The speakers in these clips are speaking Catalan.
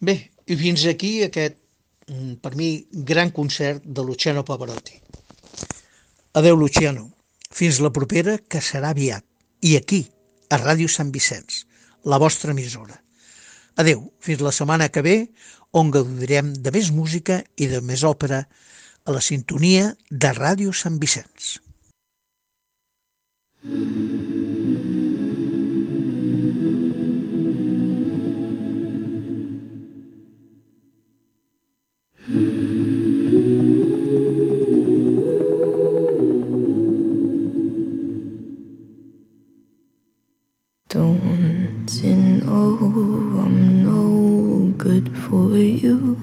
Bé, i fins aquí aquest, per mi, gran concert de Luciano Pavarotti. Adeu, Luciano. Fins la propera, que serà aviat. I aquí, a Ràdio Sant Vicenç, la vostra emissora. Adeu, fins la setmana que ve, on gaudirem de més música i de més òpera a la sintonia de Ràdio Sant Vicenç. Don't you know I'm no good for you?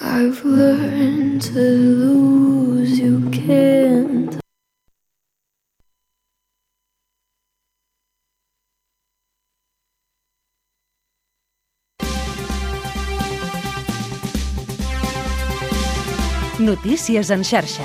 I've learned to lose, you can't. Notícies en xarxa.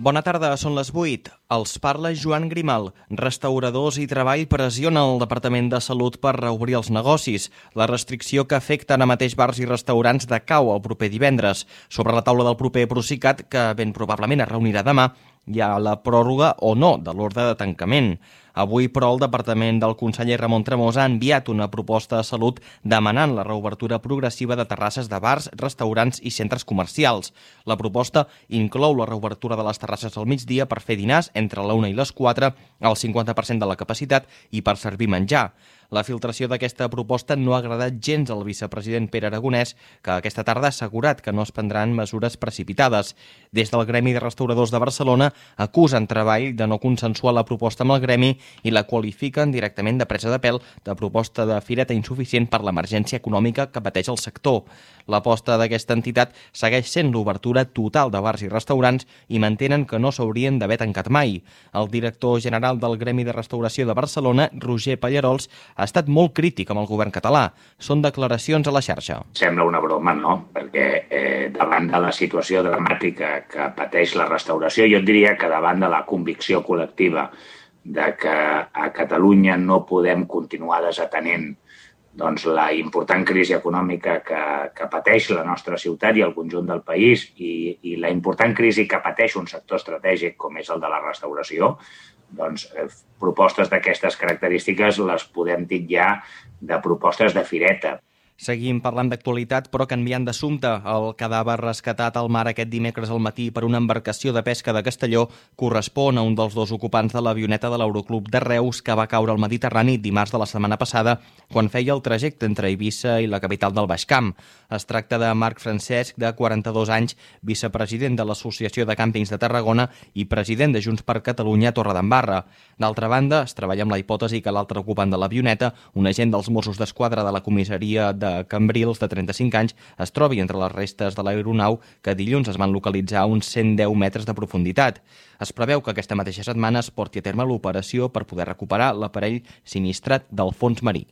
Bona tarda, són les 8. Els parla Joan Grimal. Restauradors i treball pressionen el Departament de Salut per reobrir els negocis. La restricció que afecta ara mateix bars i restaurants decau el proper divendres. Sobre la taula del proper Procicat, que ben probablement es reunirà demà, hi ha la pròrroga o no de l'ordre de tancament. Avui, però, el departament del conseller Ramon Tremosa ha enviat una proposta a Salut demanant la reobertura progressiva de terrasses de bars, restaurants i centres comercials. La proposta inclou la reobertura de les terrasses al migdia per fer dinars entre la 1 i les 4, al 50% de la capacitat i per servir menjar. La filtració d'aquesta proposta no ha agradat gens al vicepresident Pere Aragonès, que aquesta tarda ha assegurat que no es prendran mesures precipitades. Des del Gremi de Restauradors de Barcelona acusen Treball de no consensuar la proposta amb el gremi i la qualifiquen directament de presa de pèl, de proposta de fireta insuficient per l'emergència econòmica que pateix el sector. L'aposta d'aquesta entitat segueix sent l'obertura total de bars i restaurants i mantenen que no s'haurien d'haver tancat mai. El director general del Gremi de Restauració de Barcelona, Roger Pallarols, ha estat molt crític amb el govern català. Són declaracions a la xarxa. Sembla una broma, no? Perquè davant de la situació dramàtica que pateix la restauració, jo et diria que davant de la convicció col·lectiva de que a Catalunya no podem continuar desatenent doncs, la important crisi econòmica que pateix la nostra ciutat i el conjunt del país i la important crisi que pateix un sector estratègic com és el de la restauració, doncs propostes d'aquestes característiques les podem titllar de propostes de fireta. Seguim parlant d'actualitat, però canviant d'assumpte. El cadàver rescatat al mar aquest dimecres al matí per una embarcació de pesca de Castelló correspon a un dels dos ocupants de l'avioneta de l'Aeroclub de Reus que va caure al Mediterrani dimarts de la setmana passada quan feia el trajecte entre Eivissa i la capital del Baix Camp. Es tracta de Marc Francesc, de 42 anys, vicepresident de l'Associació de Càmpings de Tarragona i president de Junts per Catalunya a Torredembarra. D'altra banda, es treballa amb la hipòtesi que l'altre ocupant de l'avioneta, un agent dels Mossos d'Esquadra de la comissaria de Cambrils, de 35 anys, es trobi entre les restes de l'aeronau que dilluns es van localitzar a uns 110 metres de profunditat. Es preveu que aquesta mateixa setmana es porti a terme l'operació per poder recuperar l'aparell sinistrat del fons marí.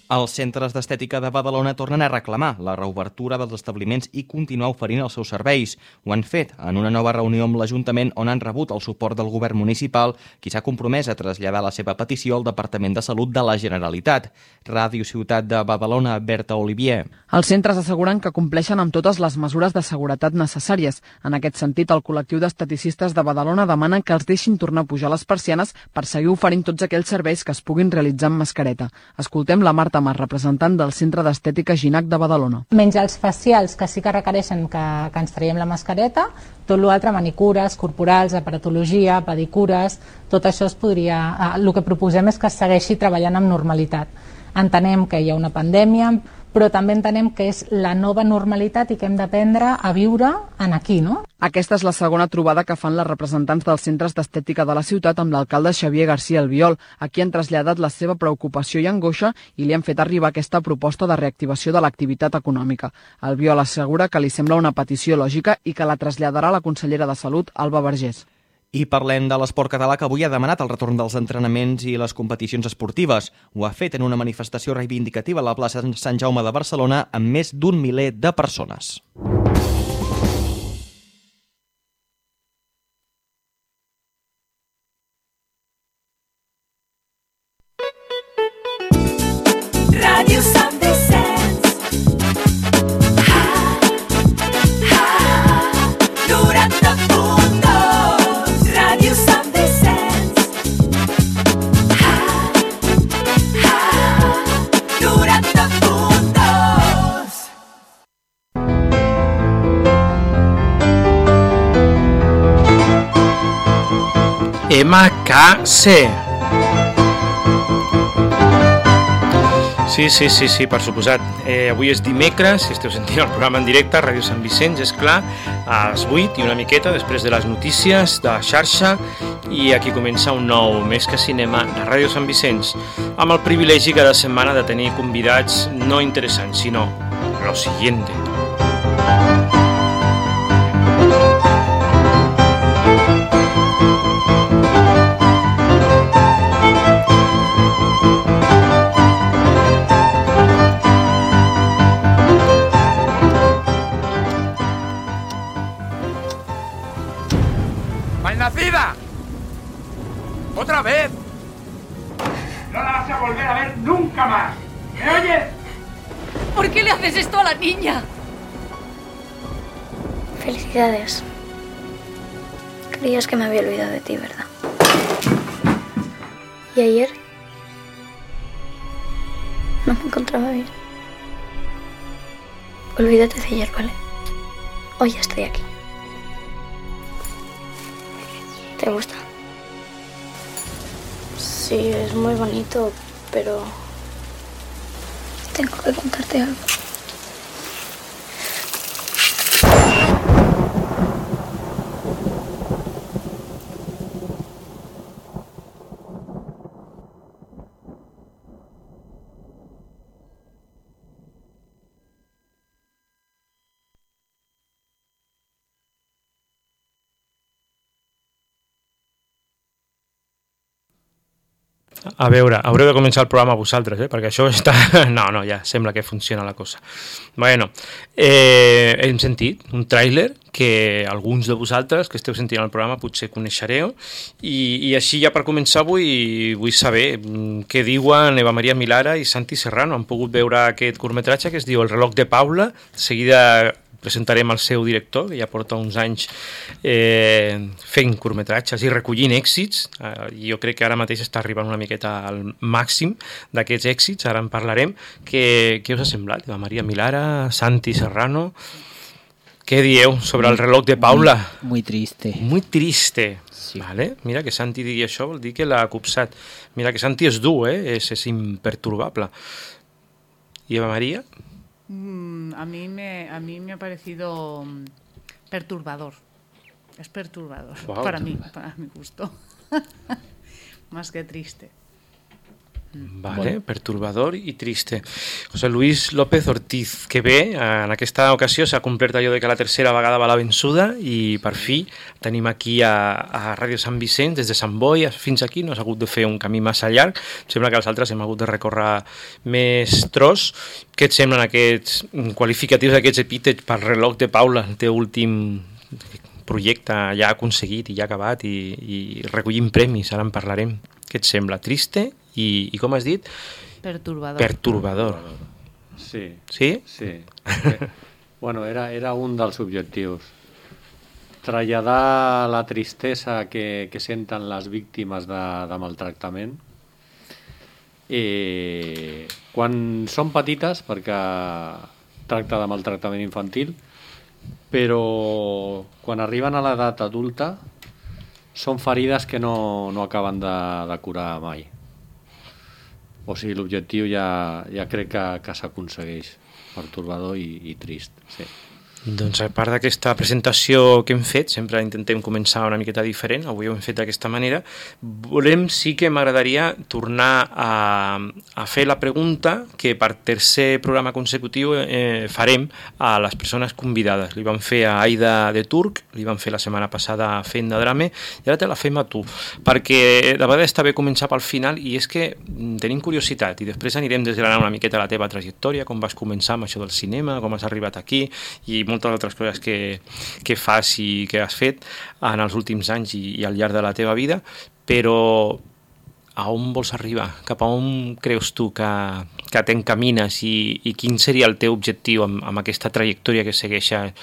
Els centres d'estètica de Badalona tornen a reclamar la reobertura dels establiments i continuar oferint els seus serveis. Ho han fet en una nova reunió amb l'Ajuntament on han rebut el suport del govern municipal, qui s'ha compromès a traslladar la seva petició al Departament de Salut de la Generalitat. Ràdio Ciutat de Badalona, Berta Olivier. Els centres asseguren que compleixen amb totes les mesures de seguretat necessàries. En aquest sentit, el col·lectiu d'esteticistes de Badalona demana que els deixin tornar a pujar les persianes per seguir oferint tots aquells serveis que es puguin realitzar amb mascareta. Escoltem la Marta Mar, representant del Centre d'Estètica Ginac de Badalona. Menys els facials, que sí que requereixen que ens traiem la mascareta, tot l'altre, manicures, corporals, aparatologia, pedicures, tot això es podria... El que proposem és que es segueixi treballant amb normalitat. Entenem que hi ha una pandèmia, però també entenem que és la nova normalitat i que hem d'aprendre a viure en aquí, no? Aquesta és la segona trobada que fan les representants dels centres d'estètica de la ciutat amb l'alcalde Xavier García Albiol, a qui han traslladat la seva preocupació i angoixa i li han fet arribar aquesta proposta de reactivació de l'activitat econòmica. Albiol assegura que li sembla una petició lògica i que la traslladarà la consellera de Salut, Alba Vergés. I parlem de l'esport català, que avui ha demanat el retorn dels entrenaments i les competicions esportives. Ho ha fet en una manifestació reivindicativa a la plaça Sant Jaume de Barcelona amb més d'1 miler de persones. MKC. Sí, per suposat. Avui és dimecres, si esteu sentint el programa en directe a Ràdio Sant Vicenç, és clar, a les 8 i una miqueta després de les notícies de la xarxa, i aquí comença un nou Més que Cinema a Ràdio Sant Vicenç, amb el privilegi cada setmana de tenir convidats no interessants, sinó lo siguiente. ¡Malnacida! ¡Otra vez! No la vas a volver a ver nunca más. ¿Me oyes? ¿Por qué le haces esto a la niña? Felicidades. Creías que me había olvidado de ti, ¿verdad? ¿Y ayer? No me encontraba bien. Olvídate de ayer, ¿vale? Hoy ya estoy aquí. ¿Te gusta? Sí, es muy bonito, pero... tengo que contarte algo. A veure, haureu de començar el programa vosaltres, perquè això està... No, ja sembla que funciona la cosa. Bueno, hem sentit un tràiler que alguns de vosaltres que esteu sentint el programa potser coneixereu, i així ja per començar vull saber què diuen Eva Maria Milara i Santi Serrano. Han pogut veure aquest curtmetratge que es diu El reloj de Paula. De seguida presentarem el seu director, que ja porta uns anys fent curtmetratges i recollint èxits. Jo crec que ara mateix està arribant una miqueta al màxim d'aquests èxits, ara en parlarem. Què us ha semblat, Eva Maria Milara, Santi Serrano? Què dieu sobre el reloj de Paula? Muy triste. Muy triste. Sí. Vale. Mira, que Santi digui això vol dir que l'ha copsat. Mira, que Santi és dur, és imperturbable. I Eva Maria? A mí me ha parecido perturbador. Es perturbador. Wow. Para mi gusto. Más que triste. Vale, perturbador i triste. José Luis López Ortiz, que bé, en aquesta ocasió s'ha complert allò de que la tercera vegada va la vençuda, i per fi tenim aquí a Ràdio Sant Vicenç, des de Sant Boi fins aquí. No s'ha hagut de fer un camí massa llarg, sembla que els altres hem hagut de recórrer més tros. Què et semblen aquests qualificatius, aquests epítets per reloj de Paula, el teu últim projecte ja aconseguit i ja acabat i recollint premis, ara en parlarem. Què et sembla? Triste i com has dit? Perturbador. Perturbador. Sí. Sí? Sí. Bueno, era un dels objectius. Traslladar la tristesa que senten les víctimes de maltractament. Quan són petites, perquè tracta de maltractament infantil, però quan arriben a l'edat adulta són ferides que no acaben de curar mai. O sigui, l'objectiu ja crec que s'aconsegueix. Perturbador i trist, sí. Doncs a part d'aquesta presentació que hem fet, sempre intentem començar una miqueta diferent, avui ho hem fet d'aquesta manera, sí que m'agradaria tornar a fer la pregunta que per tercer programa consecutiu farem a les persones convidades. Li vam fer a Aida de Turc, li vam fer la setmana passada a Fent de Drame, i ara te la fem a tu, perquè de vegades està bé començar pel final, i és que tenim curiositat, i després anirem desgranant una miqueta la teva trajectòria, com vas començar amb això del cinema, com has arribat aquí, i moltes altres coses que fas i que has fet en els últims anys i al llarg de la teva vida, però a on vols arribar? Cap a on creus tu que t'encamines i quin seria el teu objectiu amb aquesta trajectòria que segueixes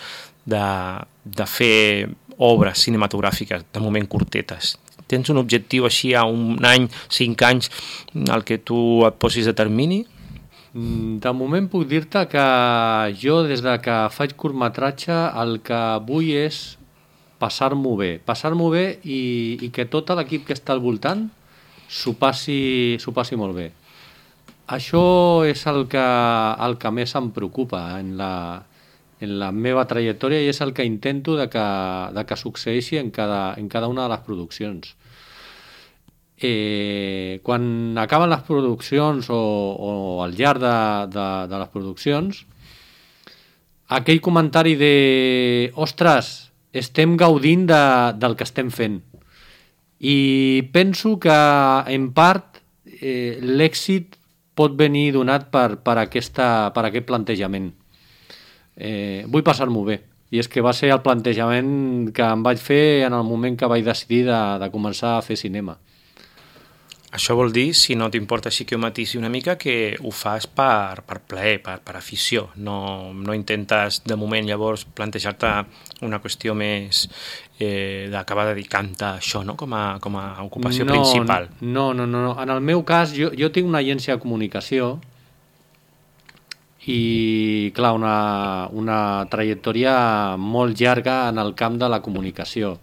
de fer obres cinematogràfiques, de moment curtetes? Tens un objectiu així a un any, 5 anys, al que tu et posis de termini? De moment puc dir-te que jo, des de que faig curtmetratge, el que vull és passar-m'ho bé i que tot l'equip que està al voltant s'ho passi molt bé. Això és el que més em preocupa en la meva trajectòria i és el que intento de que succeeixi en cada una de les produccions. Quan acaben les produccions o al llarg de les produccions, aquell comentari de ostres, estem gaudint del que estem fent. I penso que en part l'èxit pot venir donat per aquest plantejament. Vull passar-m'ho bé. I és que va ser el plantejament que em vaig fer en el moment que vaig decidir de començar a fer cinema. Això vol dir, si no t'importa així que ho matisi una mica, que ho fas per plaer, per afició. No intentes, de moment, llavors, plantejar-te una qüestió més d'acabar dedicant-te a això, no? com a ocupació principal. No. En el meu cas, jo tinc una agència de comunicació i, clar, una trajectòria molt llarga en el camp de la comunicació.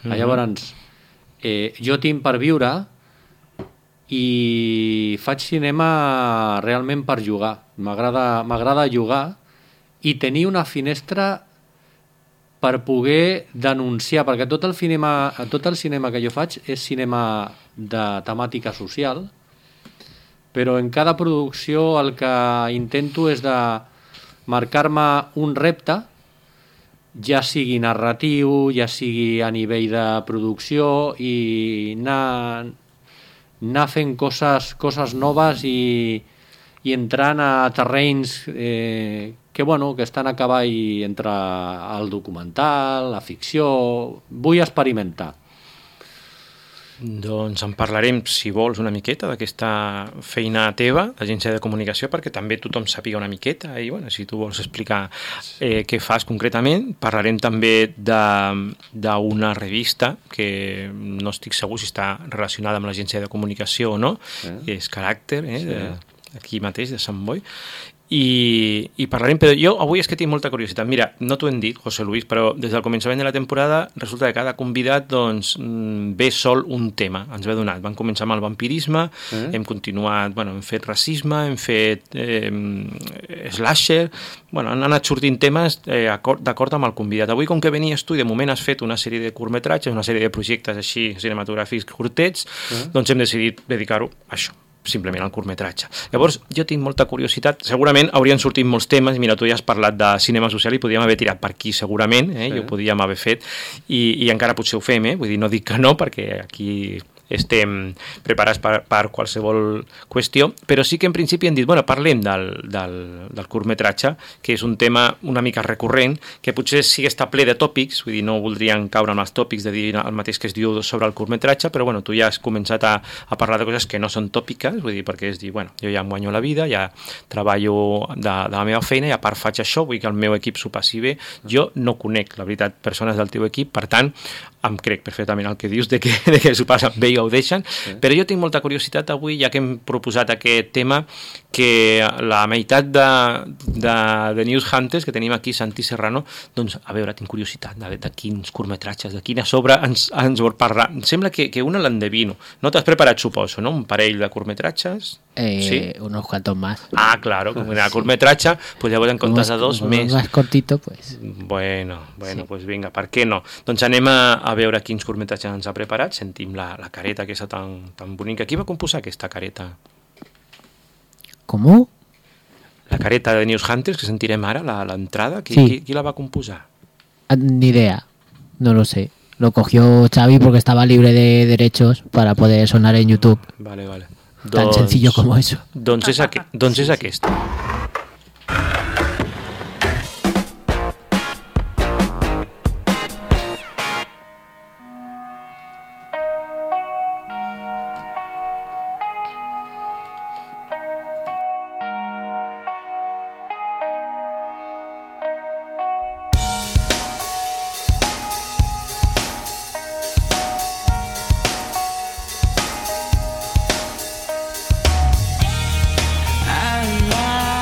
Llavors, jo tinc per viure i faig cinema realment per jugar. M'agrada jugar i tenir una finestra per poder denunciar, perquè tot el cinema que jo faig és cinema de temàtica social, però en cada producció el que intento és de marcar-me un repte, ja sigui narratiu, ja sigui a nivell de producció, i anar fent coses noves i entrant a terrenys que estan a cavall entre el documental, la ficció. Vull experimentar. Doncs en parlarem, si vols, una miqueta d'aquesta feina teva, l'agència de comunicació, perquè també tothom sàpiga una miqueta i, si tu vols explicar què fas concretament. Parlarem també d'una revista que no estic segur si està relacionada amb l'agència de comunicació o no, és Caràcter, aquí mateix, de Sant Boi. I parlarem, però jo avui és que tinc molta curiositat. Mira, no t'ho hem dit, José Luis, però des del començament de la temporada resulta que cada convidat ve sol un tema, ens ve donat. Vam començar amb el vampirisme, hem continuat, hem fet racisme, hem fet slasher, han anat sortint temes d'acord amb el convidat. Avui, com que venies tu i de moment has fet una sèrie de curtmetratges, una sèrie de projectes així cinematogràfics curtets, doncs hem decidit dedicar-ho a això, simplement al curtmetratge. Llavors, jo tinc molta curiositat. Segurament haurien sortit molts temes. Mira, tu ja has parlat de cinema social i podríem haver tirat per aquí, segurament, i ho podíem haver fet. I encara potser ho fem, vull dir, no dic que no, perquè aquí estem preparats per qualsevol qüestió, però sí que en principi hem dit, parlem del curtmetratge, que és un tema una mica recurrent, que potser sí que està ple de tòpics, vull dir, no voldrien caure amb els tòpics de dir el mateix que es diu sobre el curtmetratge, però tu ja has començat a parlar de coses que no són tòpiques, vull dir, perquè és dir, jo ja em guanyo la vida, ja treballo de la meva feina i a part faig això, vull que el meu equip s'ho passi bé. Jo no conec, la veritat, persones del teu equip, per tant, em crec perfectament el que dius de que s'ho passen bé i ho deixen, però jo tinc molta curiositat avui, ja que hem proposat aquest tema, que la meitat de News Hunters que tenim aquí, Santi Serrano, doncs, a veure, tinc curiositat de quins curtmetratges, de quina obra ens vol parlar. Em sembla que una l'endevino. No t'has preparat, suposo, no? Un parell de curtmetratges? Sí. Unos cuantos más. Ah, claro, como una curtmetratge, pues llavors en comptes de dos més. Más cortito, pues. Bueno, sí. Pues vinga, per què no? Doncs anem a veure quins curtmetratges ens ha preparat. Sentim la careta aquesta tan bonica. Qui va composar aquesta careta? ¿Cómo? La careta de News Hunters que sentirem ara, l'entrada, qui la va composar? Ni idea, no lo sé. Lo cogió Xavi porque estaba libre de derechos para poder sonar en YouTube. Vale. Tan sencillo como eso. Doncs és aquesta. I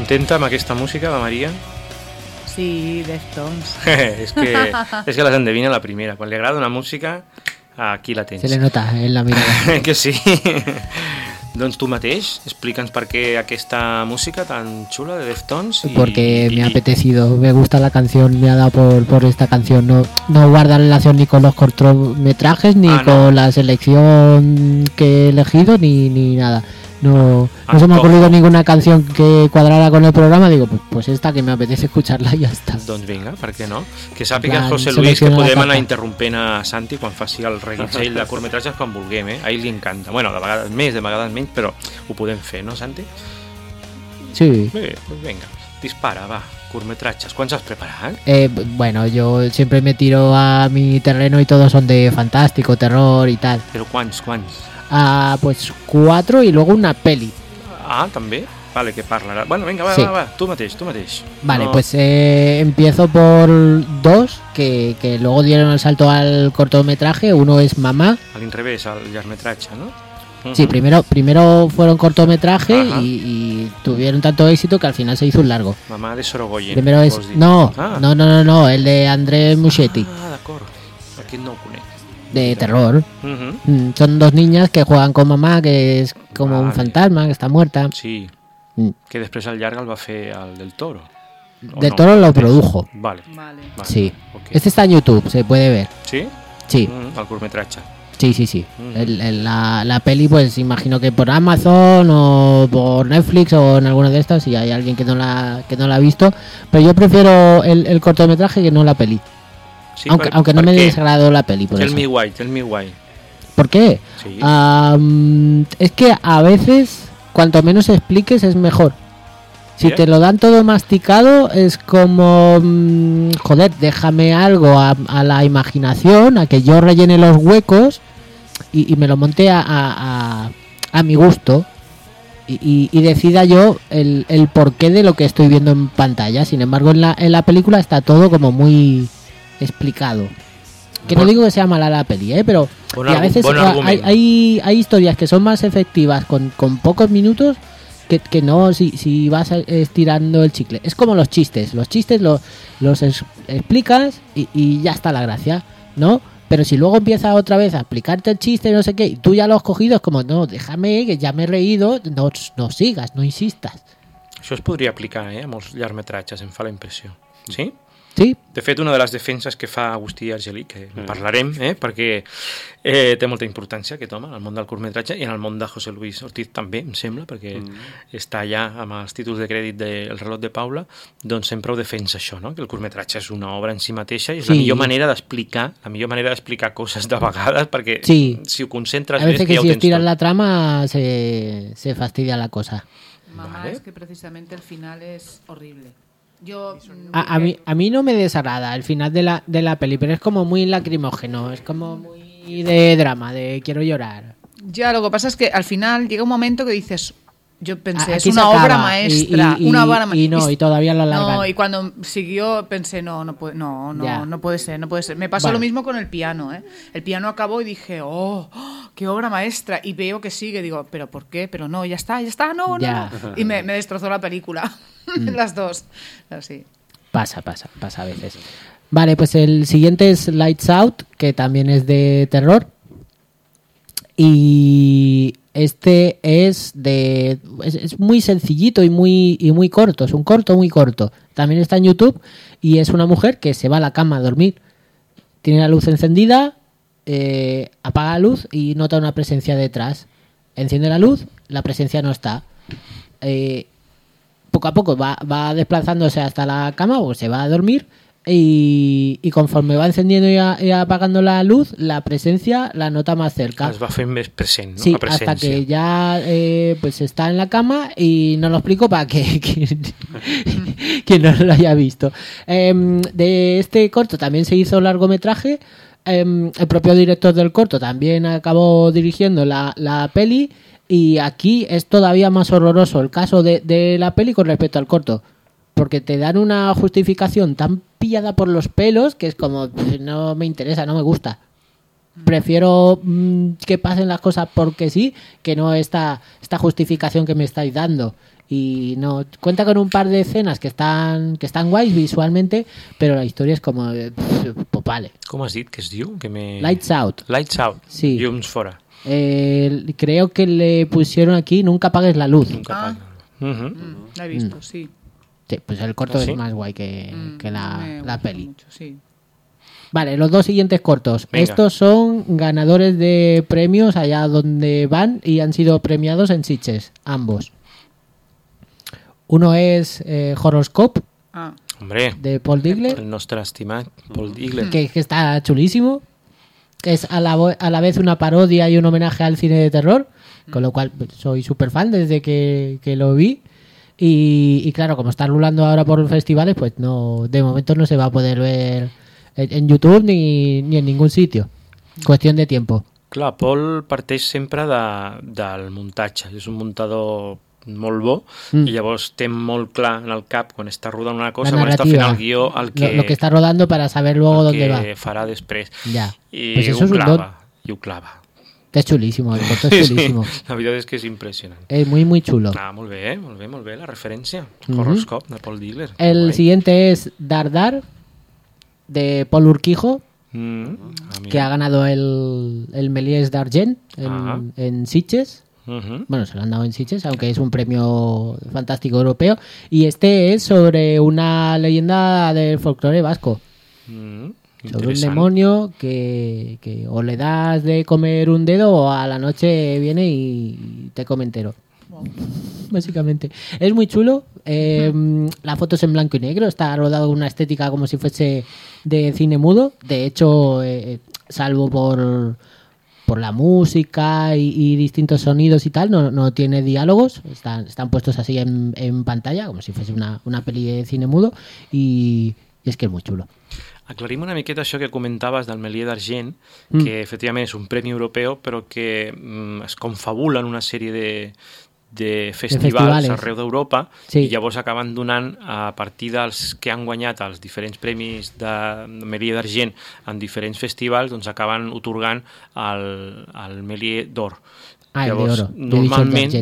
Contenta amb aquesta música, la Maria? Sí, Deftones. és que les endevina la primera. Quan li agrada una música, aquí la tens. Se le nota en la mirada. Que sí. Doncs tu mateix, explica'ns per qué aquesta música tan chula de Deftones. Porque me ha apetecido, me gusta la canción, me ha dado por esta canción. No guarda relación ni con los cortometrajes, ni con la selección que he elegido, ni nada. No se me ha ocurrido ninguna canción que cuadrara con el programa. Digo, pues esta que me apetece escucharla i ja està. Doncs vinga, per què no? Que sàpiga José Luis que podem anar interrompent a Santi quan faci el reguitzell de curtmetratges quan vulguem, A ell li encanta. Bueno, de vegades més, de vegades menys, però ho podem fer, no, Santi? Sí. Bé, doncs vinga, dispara, va, curtmetratges. Quants has preparat? Bueno, yo siempre me tiro a mi terreno y todos son de fantástico, terror y tal. Però quants? Pues 4 y luego una peli. Ah, també? Vale, que parlarà. Bueno, vinga, va, sí. va, tu mateix. Vale, no. Pues empiezo por 2, que luego dieron el salto al cortometraje. Uno es Mamá. A l'inrevés, al llargmetratge, ¿no? Sí, primero fueron cortometraje y tuvieron tanto éxito que al final se hizo un largo. Mamá de Sorogoyen. Primero es... No, el de André Muschietti. Ah, d'acord. Aquest no ho conec. De terror. Son 2 niñas que juegan con mamá, que es como un fantasma, que está muerta. Sí. Que després al llarg el va fer el del Toro. Del Toro lo produjo. Vale. Sí. Okay. Este está en YouTube, se puede ver. ¿Sí? Sí. El curtmetratge. Sí. La peli, pues imagino que por Amazon o por Netflix o en alguna de estas, si hay alguien que no la ha visto. Pero yo prefiero el cortometraje que no la peli. Sí, aunque no me desagradó la peli. Tell me why. ¿Por qué? Sí. Es que a veces, cuanto menos expliques, es mejor. Si te lo dan todo masticado, es como... joder, déjame algo a la imaginación, a que yo rellene los huecos y me lo monte a mi gusto. Y decida yo el porqué de lo que estoy viendo en pantalla. Sin embargo, en la película está todo como muy... explicado. Que no digo que sea mala la peli, pero a veces hay historias que son más efectivas con pocos minutos que no si vas estirando el chicle. Es como los chistes los explicas y ya está la gracia, ¿no? Pero si luego empieza otra vez a explicarte el chiste, no sé qué, y tú ya lo has cogido, es como, no, déjame, que ya me he reído, no sigas, no insistas. Això es podria aplicar, a molts llargmetratges, em fa la impressió. Sí? Sí. De fet, una de les defenses que fa Agustí Argelí, que en parlarem, perquè té molta importància aquest home en el món del curtmetratge i en el món de José Luis Ortiz també, em sembla, perquè està allà amb els títols de crèdit del Reloj de Paula, doncs sempre ho defensa això, no? Que el curtmetratge és una obra en si mateixa i és la millor manera d'explicar coses de vegades, perquè si ho concentres bé, ja ho tens tot. A veces que si estiras la trama se fastidia la cosa. Mamá, es que precisamente el final es horrible. A mí no me desagrada el final de la peli, pero es como muy lacrimógeno, es como muy de drama, de quiero llorar. Ya, lo que pasa es que al final llega un momento que dices, yo pensé, es una obra maestra, una obra maestra. Y todavía lo alargan. No, y cuando siguió pensé, no puede ser. Me pasó lo mismo con el piano, El piano acabó y dije, oh, qué obra maestra. Y veo que sigue, digo, ¿pero por qué? Pero no, ya está, no. Y me destrozó la película. Las dos. Así. Pasa a veces. Vale, pues el siguiente es Lights Out, que también es de terror. Y este es muy sencillito y muy corto. Es un corto muy corto. También está en YouTube y es una mujer que se va a la cama a dormir. Tiene la luz encendida, apaga la luz y nota una presencia detrás. Enciende la luz, la presencia no está. Poco a poco va desplazándose hasta la cama o se va a dormir y conforme va encendiendo y apagando la luz, la presencia la nota más cerca. Es va fent més present, no? Sí, hasta que ya pues está en la cama y no lo explico para que quien no lo haya visto. De este corto también se hizo largometraje. El propio director del corto también acabó dirigiendo la peli. Y aquí es todavía más horroroso el caso de la peli con respecto al corto, porque te dan una justificación tan pillada por los pelos que es como, no me interesa, no me gusta. Prefiero que pasen las cosas porque sí, que no esta justificación que me estáis dando. y no cuenta con un par de escenas que están guays visualmente, pero la historia es como pues vale. Com has dit que es diu? Lights Out. Lights Out, sí. Llums fora. Creo que le pusieron aquí Nunca apagues la luz. La he visto, sí. Sí, pues el corto es más guay que la peli. Mucho, sí. Vale, los dos siguientes cortos. Venga. Estos son ganadores de premios allá donde van y han sido premiados en Sitges, ambos. Uno es Horoscope, de Paul Digler. El nostre estimat Paul Digler. Que está chulísimo. Es a la vez una parodia y un homenaje al cine de terror, con lo cual soy súper fan desde que lo vi. Y claro, como está rulando ahora por festivales, pues no, de momento no se va a poder ver en YouTube ni en ningún sitio. Cuestión de tiempo. Clar, Paul parteix sempre del muntatge. És un muntador molt bo i llavors té molt clar en el cap quan està rodant una cosa, quan està fent el guió el que, lo que está rodando para saber luego dónde va. Que farà després. Ja. I pues ho clava. I ho clava. Es chulísimo, el corto es chulísimo. Sí, la veritat és que és impressionant. Es muy, muy chulo. Molt bé, la referència. Horoscope de Paul Digler. El siguiente es Dar, de Paul Urquijo, que ha ganado el Méliès d'Argent en Sitges. Bueno, se lo han dado en Sitges, aunque es un premio fantástico europeo. Y este es sobre una leyenda del folclore vasco. Sobre un demonio que o le das de comer un dedo o a la noche viene y te come entero. Básicamente. Es muy chulo. La foto es en blanco y negro. Está rodado con una estética como si fuese de cine mudo. De hecho, salvo por la música y distintos sonidos y tal, no tiene diálogos. Están puestos así en pantalla, como si fuese una peli de cine mudo. Y es que es muy chulo. Aclarim una miqueta això que comentaves del Méliès d'Argent, que efectivament és un premi europeu, però que es confabula en una sèrie de festivals arreu d'Europa, i llavors acaben donant, a partir dels que han guanyat els diferents premis de Méliès d'Argent en diferents festivals, doncs acaben otorgant el Méliès d'Or. Llavors, normalment...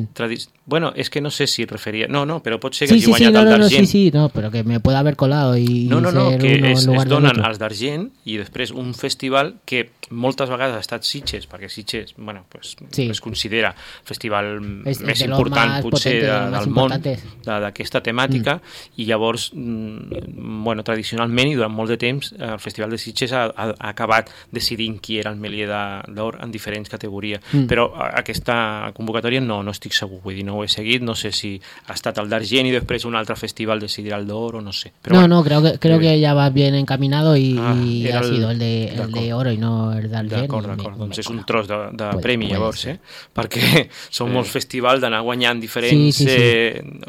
Bueno, es que no sé si referia... No, però pot ser que hagi guanyat el d'Argent. Sí, però que me puede haver colado i no, que es donen els d'Argent i després un festival que moltes vegades ha estat Sitges, perquè Sitges, bueno, pues, es considera el festival més important potser del món d'aquesta temàtica, i llavors, bueno, tradicionalment i durant molt de temps el Festival de Sitges ha acabat decidint qui era el Méliès d'Or en diferents categories, però aquesta convocatòria no estic segur, vull dir, no ho he seguit, no sé si ha estat el d'Argent i després un altre festival decidirà el d'Or o no sé. Però no, creo que ya va bien encaminado y ha sido el de Oro y no el d'Argent. D'acord, doncs és un tros de premi llavors, perquè són molts festivals d'anar guanyant diferents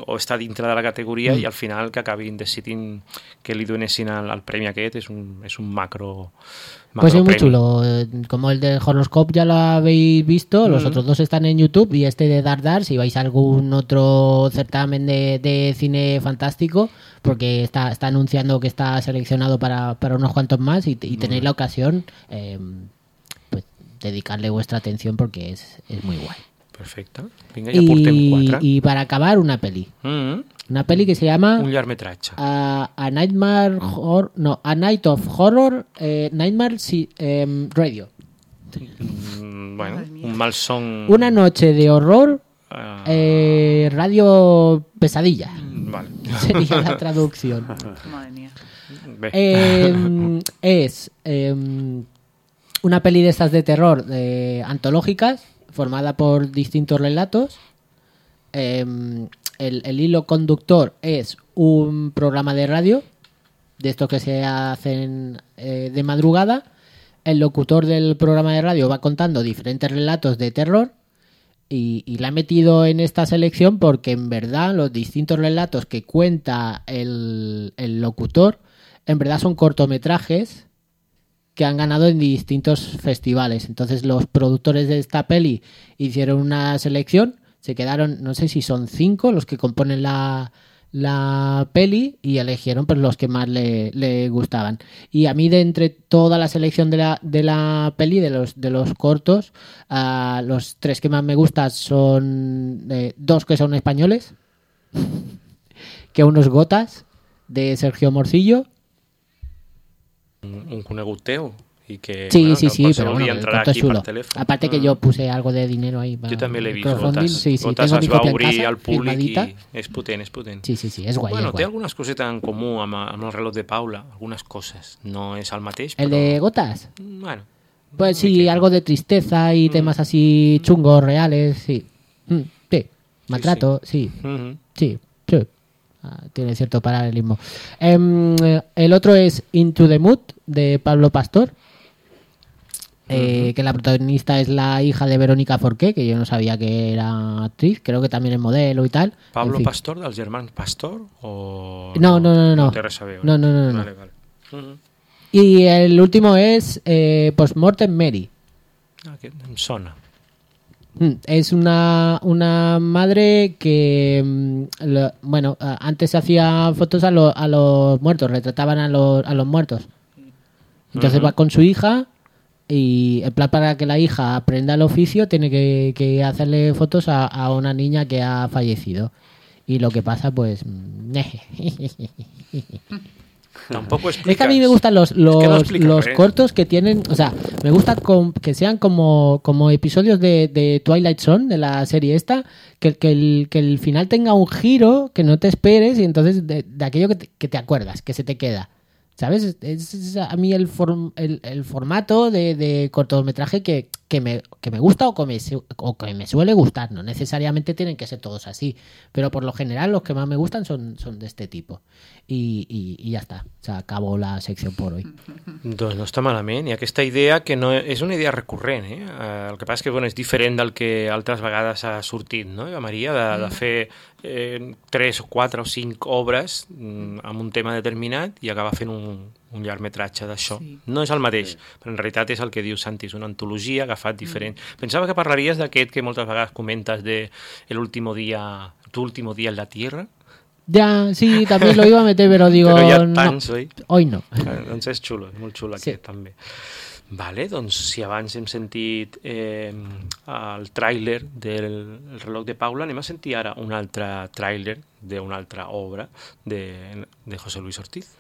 o estar dintre de la categoria i al final que acabin decidint que li donessin el premi aquest és un macro. Pues es muy chulo, como el de Horoscope ya lo habéis visto, los otros dos están en YouTube y este de Dar, si vais a algún otro certamen de cine fantástico, porque está anunciando que está seleccionado para unos cuantos más y tenéis la ocasión, pues dedicarle vuestra atención porque es muy guay. Perfecte, vinga, ja portem 4. Y para acabar, una peli. Una peli que se llama... Un llargmetratge. A Night of Horror, Nightmare Radio. Bueno, un malson... Una noche de horror, radio pesadilla. Vale. Sería la traducción. Madre mía. Es una peli de estas de terror antológicas, formada por distintos relatos. El hilo conductor es un programa de radio, de estos que se hacen de madrugada. El locutor del programa de radio va contando diferentes relatos de terror y la he metido en esta selección porque en verdad los distintos relatos que cuenta el locutor en verdad son cortometrajes que han ganado en distintos festivales. Entonces los productores de esta peli hicieron una selección, se quedaron, no sé si son 5 los que componen la peli y eligieron pues los que más le gustaban. Y a mí de entre toda la selección de la peli, de los cortos, los 3 que más me gustan son 2 que son españoles, que unos Gotas de Sergio Morcillo. Un conegut teu. I que, sí, bueno, sí, sí, però bueno, el corto és xulo. Aparte que yo puse algo de dinero ahí. Jo també l'he vist, Gotas. Sí, Gotas es va obrir al públic i és potent, és potent. Sí, sí, sí, és guai. Bueno, és guai. té algunes cosetes en comú amb el reloj de Paula, algunes coses. No és el mateix, però... ¿El de Gotas? Bueno. Pues sí, algo de tristeza y temas así chungos, reales, sí. Sí, maltrato, sí. Sí, sí. Tiene cierto paralelismo. El otro es Into the Mood, de Pablo Pastor. Que la protagonista es la hija de Verónica Forqué, que yo no sabía que era actriz, creo que también es modelo y tal. Pablo en fin. Pastor, dels germans Pastor? O... No. No té res a veure. No. Vale. Y el último es Postmortem Mary. Aquest em sona. Es una madre que, bueno, antes se hacía fotos a los muertos, retrataban a los muertos. Entonces va con su hija y en plan para que la hija aprenda el oficio tiene que hacerle fotos a una niña que ha fallecido. Y lo que pasa, pues... Tampoco explicas. Es que a mí me gustan los cortos que tienen, o sea, me gusta que sean como episodios de Twilight Zone, de la serie esta, que el final tenga un giro que no te esperes y entonces de aquello que te acuerdas, que se te queda. ¿Sabes? Es a mí el formato de cortometraje que me gusta o que me suele gustar. No necesariamente tienen que ser todos así, pero por lo general los que más me gustan son de este tipo. I ja està, s'acabó la secció per hoy. Doncs no està malament, i aquesta idea que no és una idea recurrent, el que passa és que bueno, és diferent del que altres vegades ha sortit, no, Eva Maria, de fer 3 o 4 o 5 obres amb un tema determinat i acabar fent un llargmetratge d'això. Sí. No és el mateix, però en realitat és el que diu Santi, és una antologia agafat diferent. Pensava que parlaries d'aquest que moltes vegades comentes de Tu último día en la Tierra. Ya, sí, también lo iba a meter, pero digo... Però hi ha tants, oi? Hoy no. Doncs és xulo, és molt xulo aquest també. Vale, doncs si abans hem sentit el tràiler del reloj de Paula, anem a sentir ara un altre tràiler d'una altra obra de José Luis Ortiz.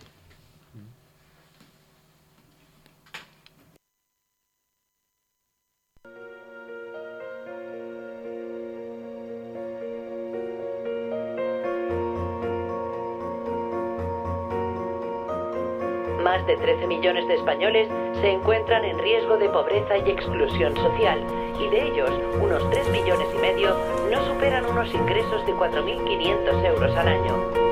Más de 13 millones de españoles se encuentran en riesgo de pobreza y exclusión social, y de ellos, unos 3,5 millones no superan unos ingresos de 4.500 euros al año.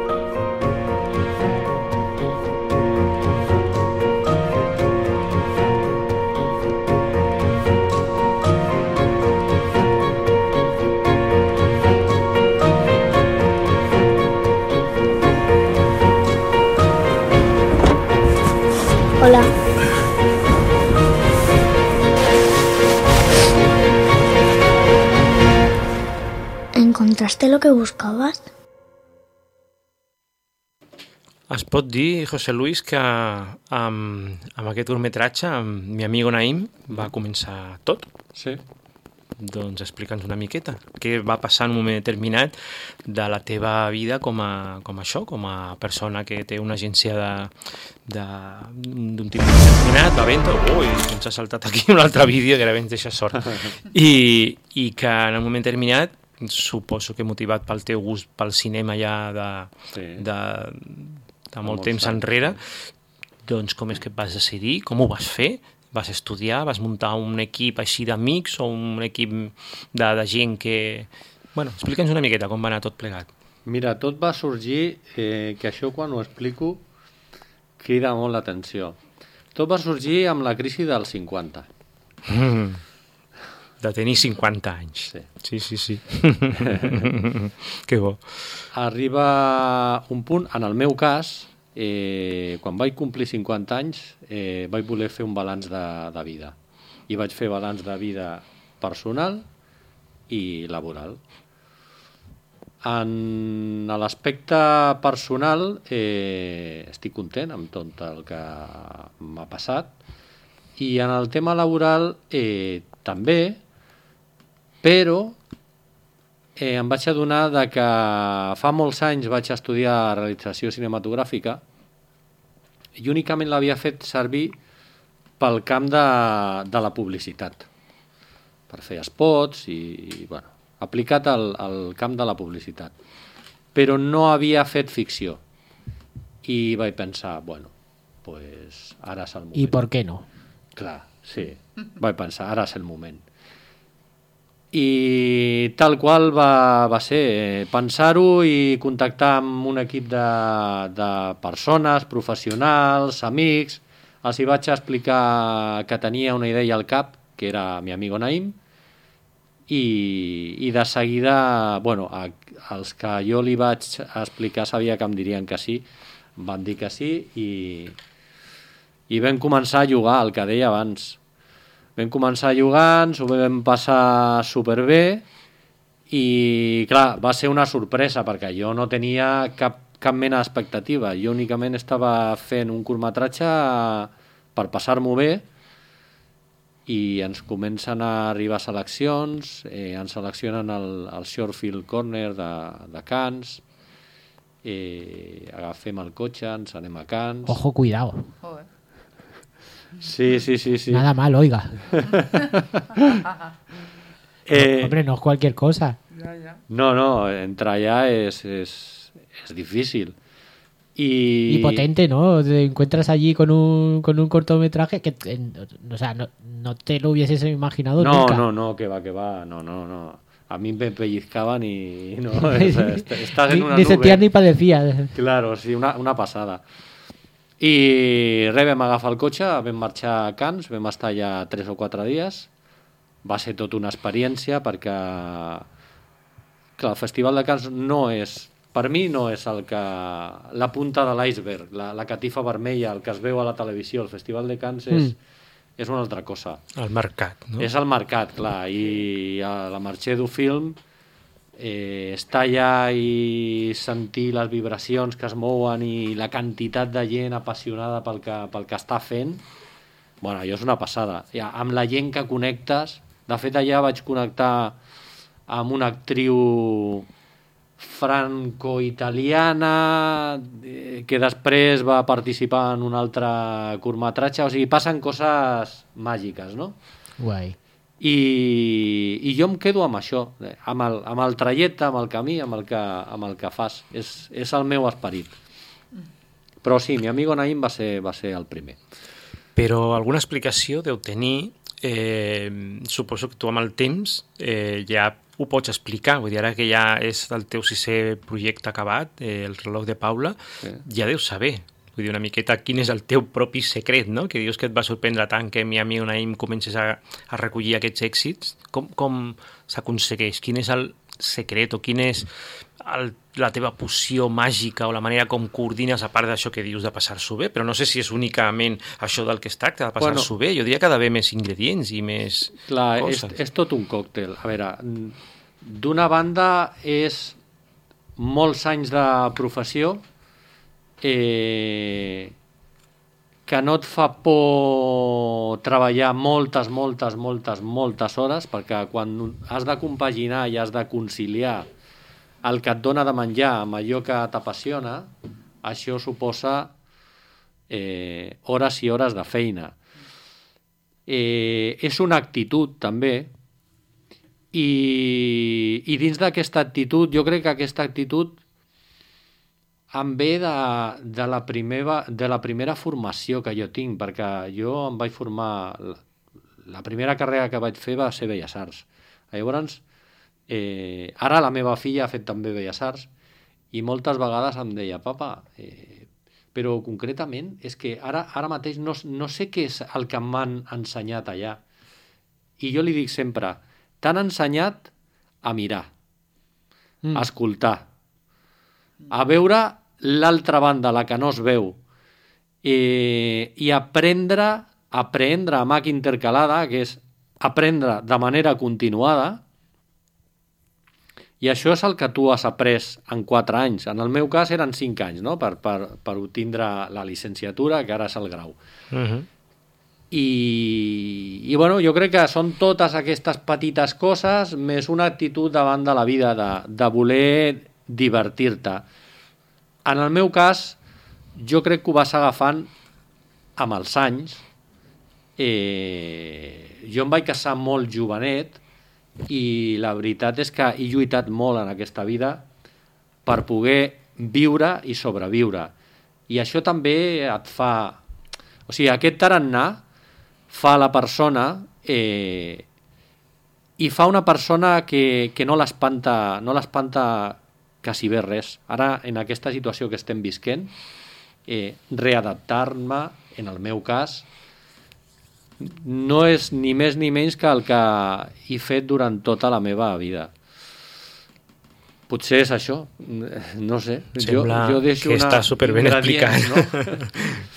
Hola. ¿Encontraste lo que buscabas? Es pot dir, José Luis, que amb aquest curtmetratge, amb mi amigo Naim, va començar tot. Sí. Doncs explica'ns una miqueta. Què va passar en un moment determinat de la teva vida com a persona que té una agència d'un tipus determinat, va vendre... Ui, ens ha saltat aquí un altre vídeo que ara ens deixa sort. I que en un moment determinat, suposo que motivat pel teu gust pel cinema ja de molt temps enrere, doncs com és que et vas decidir? Com ho vas fer? Vas estudiar? Vas muntar un equip així d'amics o un equip de gent que... Bueno, explica'ns una miqueta com va anar tot plegat. Mira, tot va sorgir, que això quan ho explico crida molt l'atenció. Tot va sorgir amb la crisi dels 50. De tenir 50 anys. Sí. Que bo. Arriba un punt, en el meu cas, quan vaig complir 50 anys vaig voler fer un balanç de vida i vaig fer balanç de vida personal i laboral. En l'aspecte personal estic content amb tot el que m'ha passat i en el tema laboral també, però em vaig adonar de que fa molts anys vaig estudiar realització cinematogràfica i únicament l'havia fet servir pel camp de la publicitat, per fer spots i bueno, aplicat al camp de la publicitat. Però no havia fet ficció. I vaig pensar, bueno, pues ara és el moment. I per què no? Clar, sí. Vaig pensar, ara és el moment. I tal qual va ser pensar-ho i contactar amb un equip de persones, professionals, amics. Els hi vaig explicar que tenia una idea al cap, que era mi amigo Naim, i de seguida, bueno, els que jo li vaig explicar sabia que em dirien que sí, van dir que sí i vam començar a jugar, el que deia abans. Vam començar jugant, s'ho vam passar superbé i, clar, va ser una sorpresa perquè jo no tenia cap mena d'expectativa. Jo únicament estava fent un curtmetratge per passar-m'ho bé i ens comencen a arribar seleccions, ens seleccionen al Shortfield Corner de Cannes, agafem el cotxe, ens anem a Cannes. Ojo, cuidado. Sí. Nada mal, oiga. Hombre, no es cualquier cosa. No, entrar allá es difícil. Y potente, ¿no? Te encuentras allí con un cortometraje que, o sea, no te lo hubieses imaginado nunca. No, que va. No. A mí me pellizcaban y no, o sea, estás en una ni nube. sentías ni padecías. Claro, sí, una passada. I res, vam agafar el cotxe, vam marxar a Cannes, vam estar allà 3 o 4 dies. Va ser tot una experiència perquè clar, el Festival de Cannes no és, per mi no és la punta de l'iceberg, la catifa vermella, el que es veu a la televisió. El Festival de Cannes és una altra cosa. El mercat, no? És el mercat, clar, i a la Marché du Film estar allà i sentir les vibracions que es mouen i la quantitat de gent apassionada pel que està fent, bueno, allò és una passada. Ja, amb la gent que connectes, de fet allà vaig connectar amb una actriu franco-italiana que després va participar en un altre curtmetratge, o sigui, passen coses màgiques, no? Guai. I jo em quedo amb això, amb el trajecte, amb el camí, amb el que fas. És el meu esperit. Però sí, mi amigo Naim va ser el primer. Però alguna explicació deu tenir, suposo que tu amb el temps ja ho pots explicar, vull dir, ara que ja és el teu 6è projecte acabat, el reloj de Paula, ja deus saber. Vull dir, una miqueta quin és el teu propi secret, no? Que dius que et va sorprendre tant que mi amic Naim comences a recollir aquests èxits. Com s'aconsegueix? Quin és el secret o quin és la teva poció màgica o la manera com coordines, a part d'això que dius de passar-s'ho bé? Però no sé si és únicament això del que es tracta, de passar-s'ho bé. Jo diria que ha d'haver més ingredients i més coses. És tot un còctel. A veure, d'una banda és molts anys de professió que no et fa por treballar moltes hores, perquè quan has de compaginar i has de conciliar el que et dona de menjar amb allò que t'apassiona, això suposa hores i hores de feina. És una actitud també, i dins d'aquesta actitud, jo crec que aquesta actitud em ve de la primera formació que jo tinc, perquè jo em vaig formar, la primera carrera que vaig fer va ser Belles Arts. Llavors, ara la meva filla ha fet també Belles Arts i moltes vegades em deia, papa, però concretament és que ara mateix no sé què és el que m'han ensenyat allà. I jo li dic sempre, t'han ensenyat a mirar, a escoltar, a veure l'altra banda, la que no es veu, i aprendre amb H intercalada, que és aprendre de manera continuada, i això és el que tu has après en 4 anys. En el meu cas eren 5 anys, no? per obtindre la llicenciatura, que ara és el grau. I bueno, jo crec que són totes aquestes petites coses més una actitud davant de la vida de voler divertir-te. En el meu cas, jo crec que ho vas agafant amb els anys. Jo em vaig casar molt jovenet i la veritat és que he lluitat molt en aquesta vida per poder viure i sobreviure. I això també et fa... O sigui, aquest tarannà fa la persona i fa una persona que no l'espanta quasi bé res. Ara, en aquesta situació que estem visquent, readaptar-me, en el meu cas, no és ni més ni menys que el que he fet durant tota la meva vida. Potser és això, no sé. Sembla jo deixo que està superben explicat. No?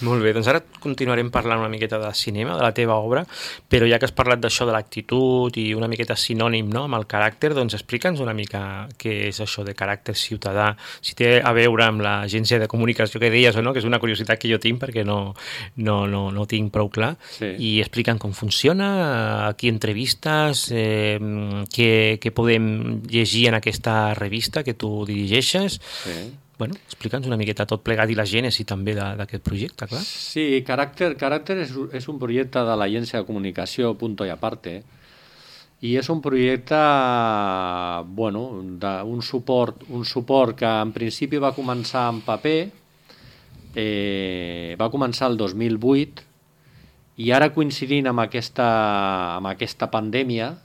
Molt bé, doncs ara continuarem parlant una miqueta de cinema, de la teva obra, però ja que has parlat d'això de l'actitud i una miqueta sinònim, no?, amb el caràcter, doncs explica'ns una mica què és això de caràcter ciutadà, si té a veure amb l'agència de comunicació que deies o no, que és una curiositat que jo tinc perquè no tinc prou clar, sí. I explica'ns com funciona, a qui entrevistes, què podem llegir en aquesta revista que tu dirigeixes. Sí. Bueno, explica'ns una miqueta tot plegat i la gènesi també d'aquest projecte, clar. Sí, Caràcter és un projecte de l'agència de comunicació Punto y Aparte i és un projecte d'un suport que en principi va començar en paper, va començar el 2008 i ara coincidint amb aquesta pandèmia,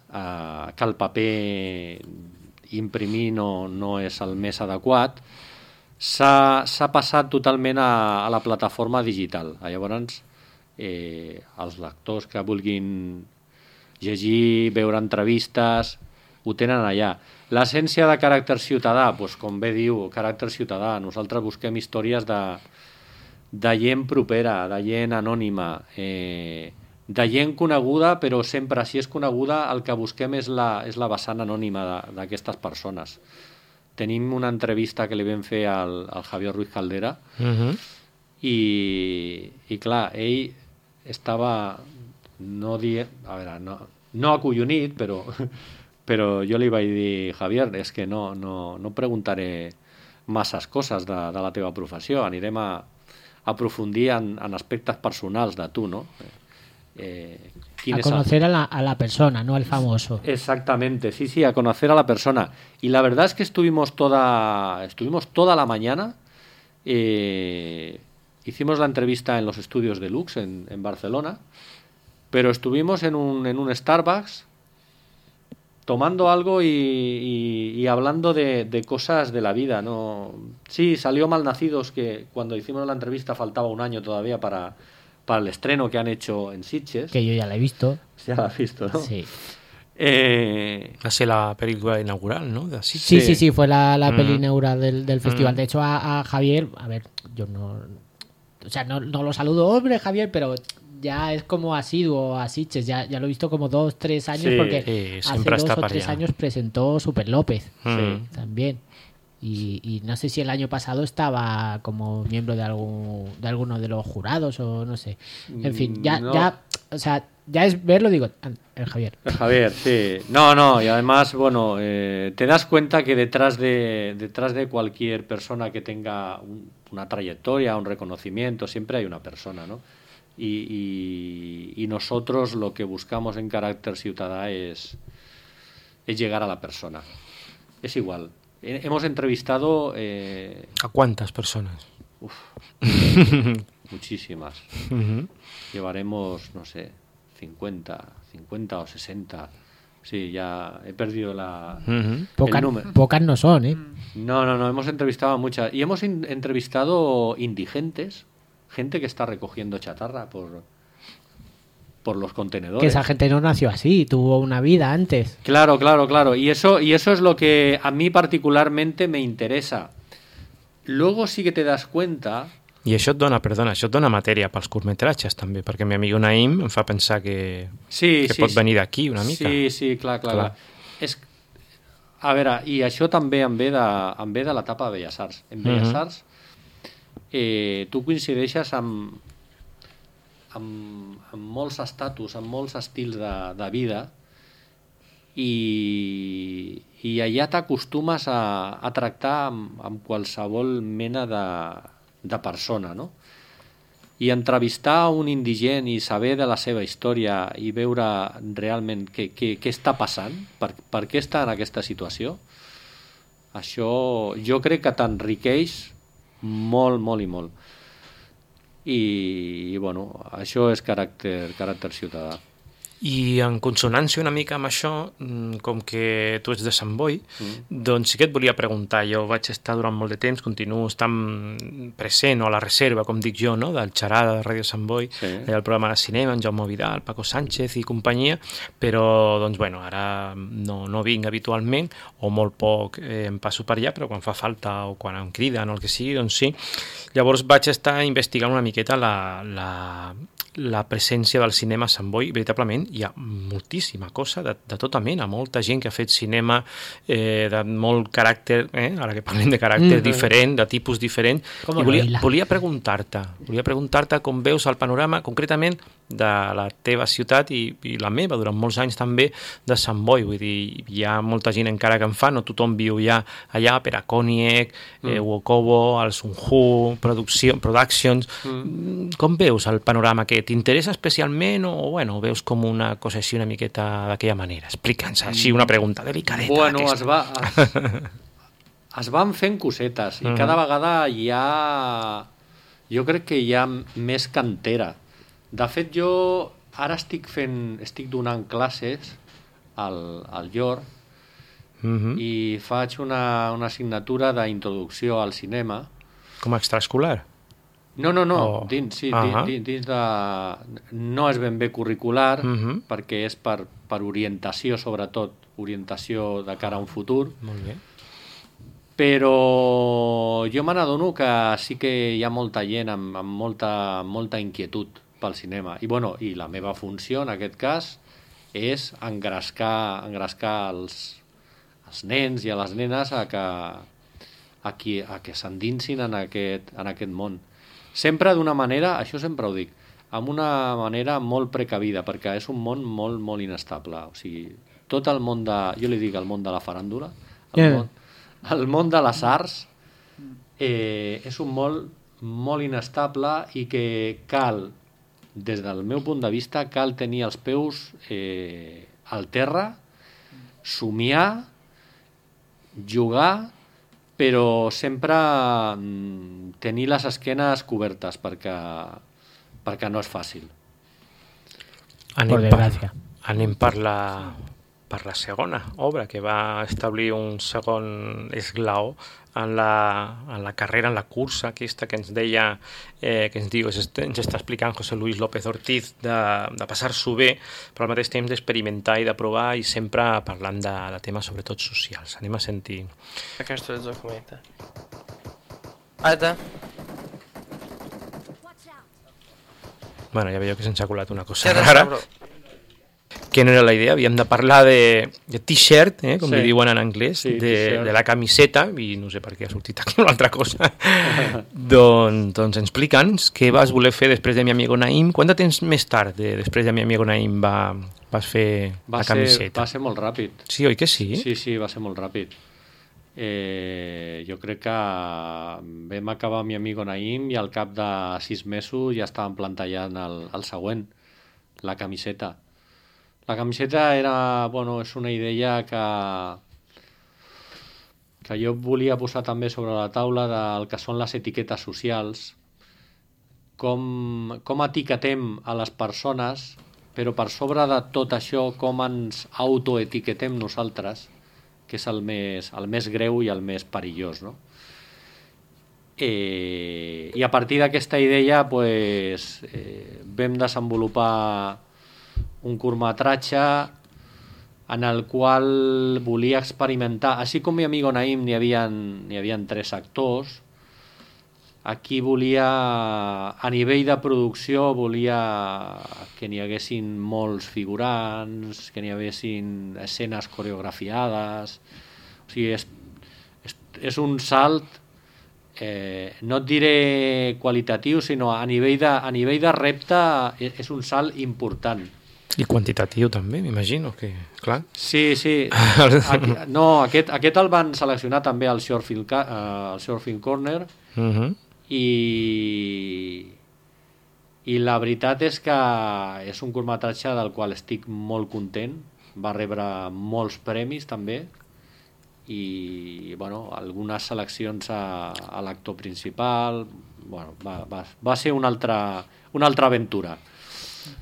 que el paper imprimir no és el més adequat, s'ha passat totalment a la plataforma digital. Llavors, els lectors que vulguin llegir, veure entrevistes, ho tenen allà. L'essència de caràcter ciutadà, doncs, com bé diu, caràcter ciutadà. Nosaltres busquem històries de gent propera, de gent anònima, de gent coneguda, però sempre, si és coneguda, el que busquem és la vessant anònima d'aquestes persones. Tenim una entrevista que li vam fer al Javier Ruiz Caldera i clar, ell estava no acollonit, però jo li vaig dir, Javier, és que no preguntaré masses coses de la teva professió, anirem a aprofundir en aspectes personals de tu, no? A conocer a la persona, no al famoso. Exactamente, sí, a conocer a la persona. Y la verdad es que estuvimos toda la mañana, hicimos la entrevista en los estudios de Lux en Barcelona, pero estuvimos en un Starbucks tomando algo y hablando de cosas de la vida, ¿no? Sí, salió Malnacidos, que cuando hicimos la entrevista faltaba un año todavía para el estreno que han hecho en Sitges. Que yo ya la he visto. Ya la has visto, ¿no? Sí. Va ser la película inaugural, ¿no? De Sitges. Sí, fue la peli inaugural del festival. De hecho, a Javier, a ver, yo no lo saludo, hombre, Javier, pero ya es como asiduo a Sitges, ya lo he visto como 2-3 años, porque hace 2 o 3 años presentó Super López también. Y no sé si el año pasado estaba como miembro de alguno de los jurados o no sé. En fin, ya es verlo, digo, el Javier. El Javier, sí. No, y además, bueno, te das cuenta que detrás de cualquier persona que tenga una trayectoria, un reconocimiento, siempre hay una persona, ¿no? Y nosotros lo que buscamos en Caràcter Ciutadà es llegar a la persona. Es igual. Hemos entrevistado... ¿A cuántas personas? Muchísimas. Llevaremos, no sé, 50 o 60. Sí, ya he perdido el número. Pocas no son, ¿eh? No, hemos entrevistado a muchas. Y hemos entrevistado indigentes, gente que está recogiendo chatarra por los contenedores. Que esa gente no nació así, tuvo una vida antes. Claro. Y eso es lo que a mí particularmente me interesa. Luego sí que te das cuenta... I això et dona matèria pels curtmetratges també, perquè mi amic Naim em fa pensar que pot venir d'aquí una mica. Sí, clar. A veure, i això també em ve de l'etapa de Belles Arts. En Belles Arts tu coincideixes amb amb molts estatus, amb molts estils de vida, i allà t'acostumes a tractar amb qualsevol mena de persona, no? I entrevistar un indigent i saber de la seva història i veure realment què està passant, per què està en aquesta situació, això jo crec que t'enriqueix molt, molt i molt. I bueno, això és caràcter ciutadà. I en consonància una mica amb això, com que tu ets de Sant Boi, doncs sí que et volia preguntar. Jo vaig estar durant molt de temps, continuo estant present o a la reserva, com dic jo, no? Del Xarada de Ràdio Sant Boi, el programa de cinema, en Jaume Vidal, Paco Sánchez i companyia, però doncs, bueno, ara no vinc habitualment, o molt poc em passo per allà, però quan fa falta o quan em criden o el que sigui, doncs sí. Llavors vaig estar investigant una miqueta la presència del cinema a Sant Boi. Veritablement hi ha moltíssima cosa de tota mena, molta gent que ha fet cinema de molt caràcter, ara que parlem de caràcter diferent, de tipus diferent, i volia preguntar-te com veus el panorama concretament de la teva ciutat i la meva durant molts anys també de Sant Boi. Vull dir, hi ha molta gent encara que en fa, no tothom viu ja allà, per a Koniec, Wokobo, el Sunhu, Productions. Com veus el panorama aquest? T'interessa especialment o bueno, veus com una cosa així una miqueta d'aquella manera? Explica'ns així una pregunta delicadeta. Bueno, es van fent cosetes i cada vegada jo crec que hi ha més cantera. De fet, jo ara estic donant classes al Llor i faig una assignatura d'introducció al cinema. Com a extraescolar? No, dins de... No és ben bé curricular, perquè és per orientació, sobretot, orientació de cara a un futur. Molt bé. Però jo me n'adono que sí que hi ha molta gent amb molta inquietud pel cinema. I la meva funció, en aquest cas, és engrescar els nens i a les nenes a que s'endinsin en aquest món. Sempre d'una manera, això sempre ho dic, amb una manera molt precavida, perquè és un món molt, molt inestable. O sigui, tot el món jo li dic el món de la faràndula, el món de les arts, és un món molt inestable i que cal, des del meu punt de vista, cal tenir els peus al terra, somiar, jugar, però sempre tenir les esquenes cobertes perquè no és fàcil. Anem per la segona obra, que va establir un segon esglaó en la carrera, en la cursa aquesta que ens deia, que ens diu, ens està explicant José Luis López Ortiz, de passar-s'ho bé, però al mateix temps d'experimentar i de provar, i sempre parlant de temes sobretot socials. Anem a sentir. Aquesta és documenta. Alta. Bueno, ja veieu que se'ns ha colat una cosa rara. Que no era la idea, havíem de parlar de t-shirt, com li diuen en anglès, de la camiseta, i no sé per què ha sortit aquí una altra cosa. Doncs explica'ns què vas voler fer després de Mi Amigo Naim. Quant de temps més tard, després de Mi Amigo Naim, vas fer la camiseta? Va ser molt ràpid. Sí, oi que sí? Sí, va ser molt ràpid. Jo crec que vam acabar Mi Amigo Naim i al cap de 6 mesos ja estàvem plantellant el següent, la camiseta. La camiseta és una idea que jo volia posar també sobre la taula del que són les etiquetes socials, com etiquetem a les persones, però per sobre de tot això com ens autoetiquetem nosaltres, que és el més greu i el més perillós, no? I a partir d'aquesta idea vam desenvolupar un curtmetratge en el qual volia experimentar, així com Mi Amigo Naim n'hi havia 3 actors, aquí volia, a nivell de producció, volia que n'hi haguessin molts figurants, que n'hi haguessin escenes coreografiades. O sigui, és un salt no et diré qualitatiu, sinó a nivell de repte és un salt important. I quantitatiu també, m'imagino que, clar. Sí. Aquest el van seleccionar també al Surfing Corner i la veritat és que és un curtmetratge del qual estic molt content. Va rebre molts premis també i algunes seleccions a l'actor principal. Va ser una altra aventura.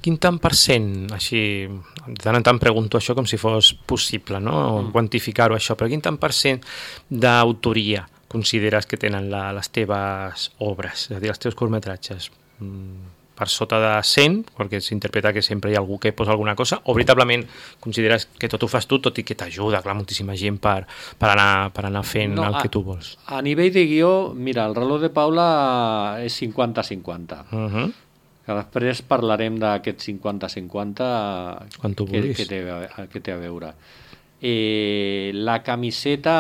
Quin tant per cent, així, de tant en tant pregunto això com si fos possible, no? Quantificar-ho això, però quin tant per cent d'autoria consideres que tenen les teves obres, és a dir, els teus curtmetratges? Per sota de 100, perquè s'interpreta que sempre hi ha algú que posa alguna cosa, o veritablement consideres que tot ho fas tu, tot i que t'ajuda, clar, moltíssima gent per anar fent el que tu vols? A nivell de guió, mira, el reloj de Paula és 50-50. Que després parlarem d'aquest 50-50 que té a veure. La camiseta,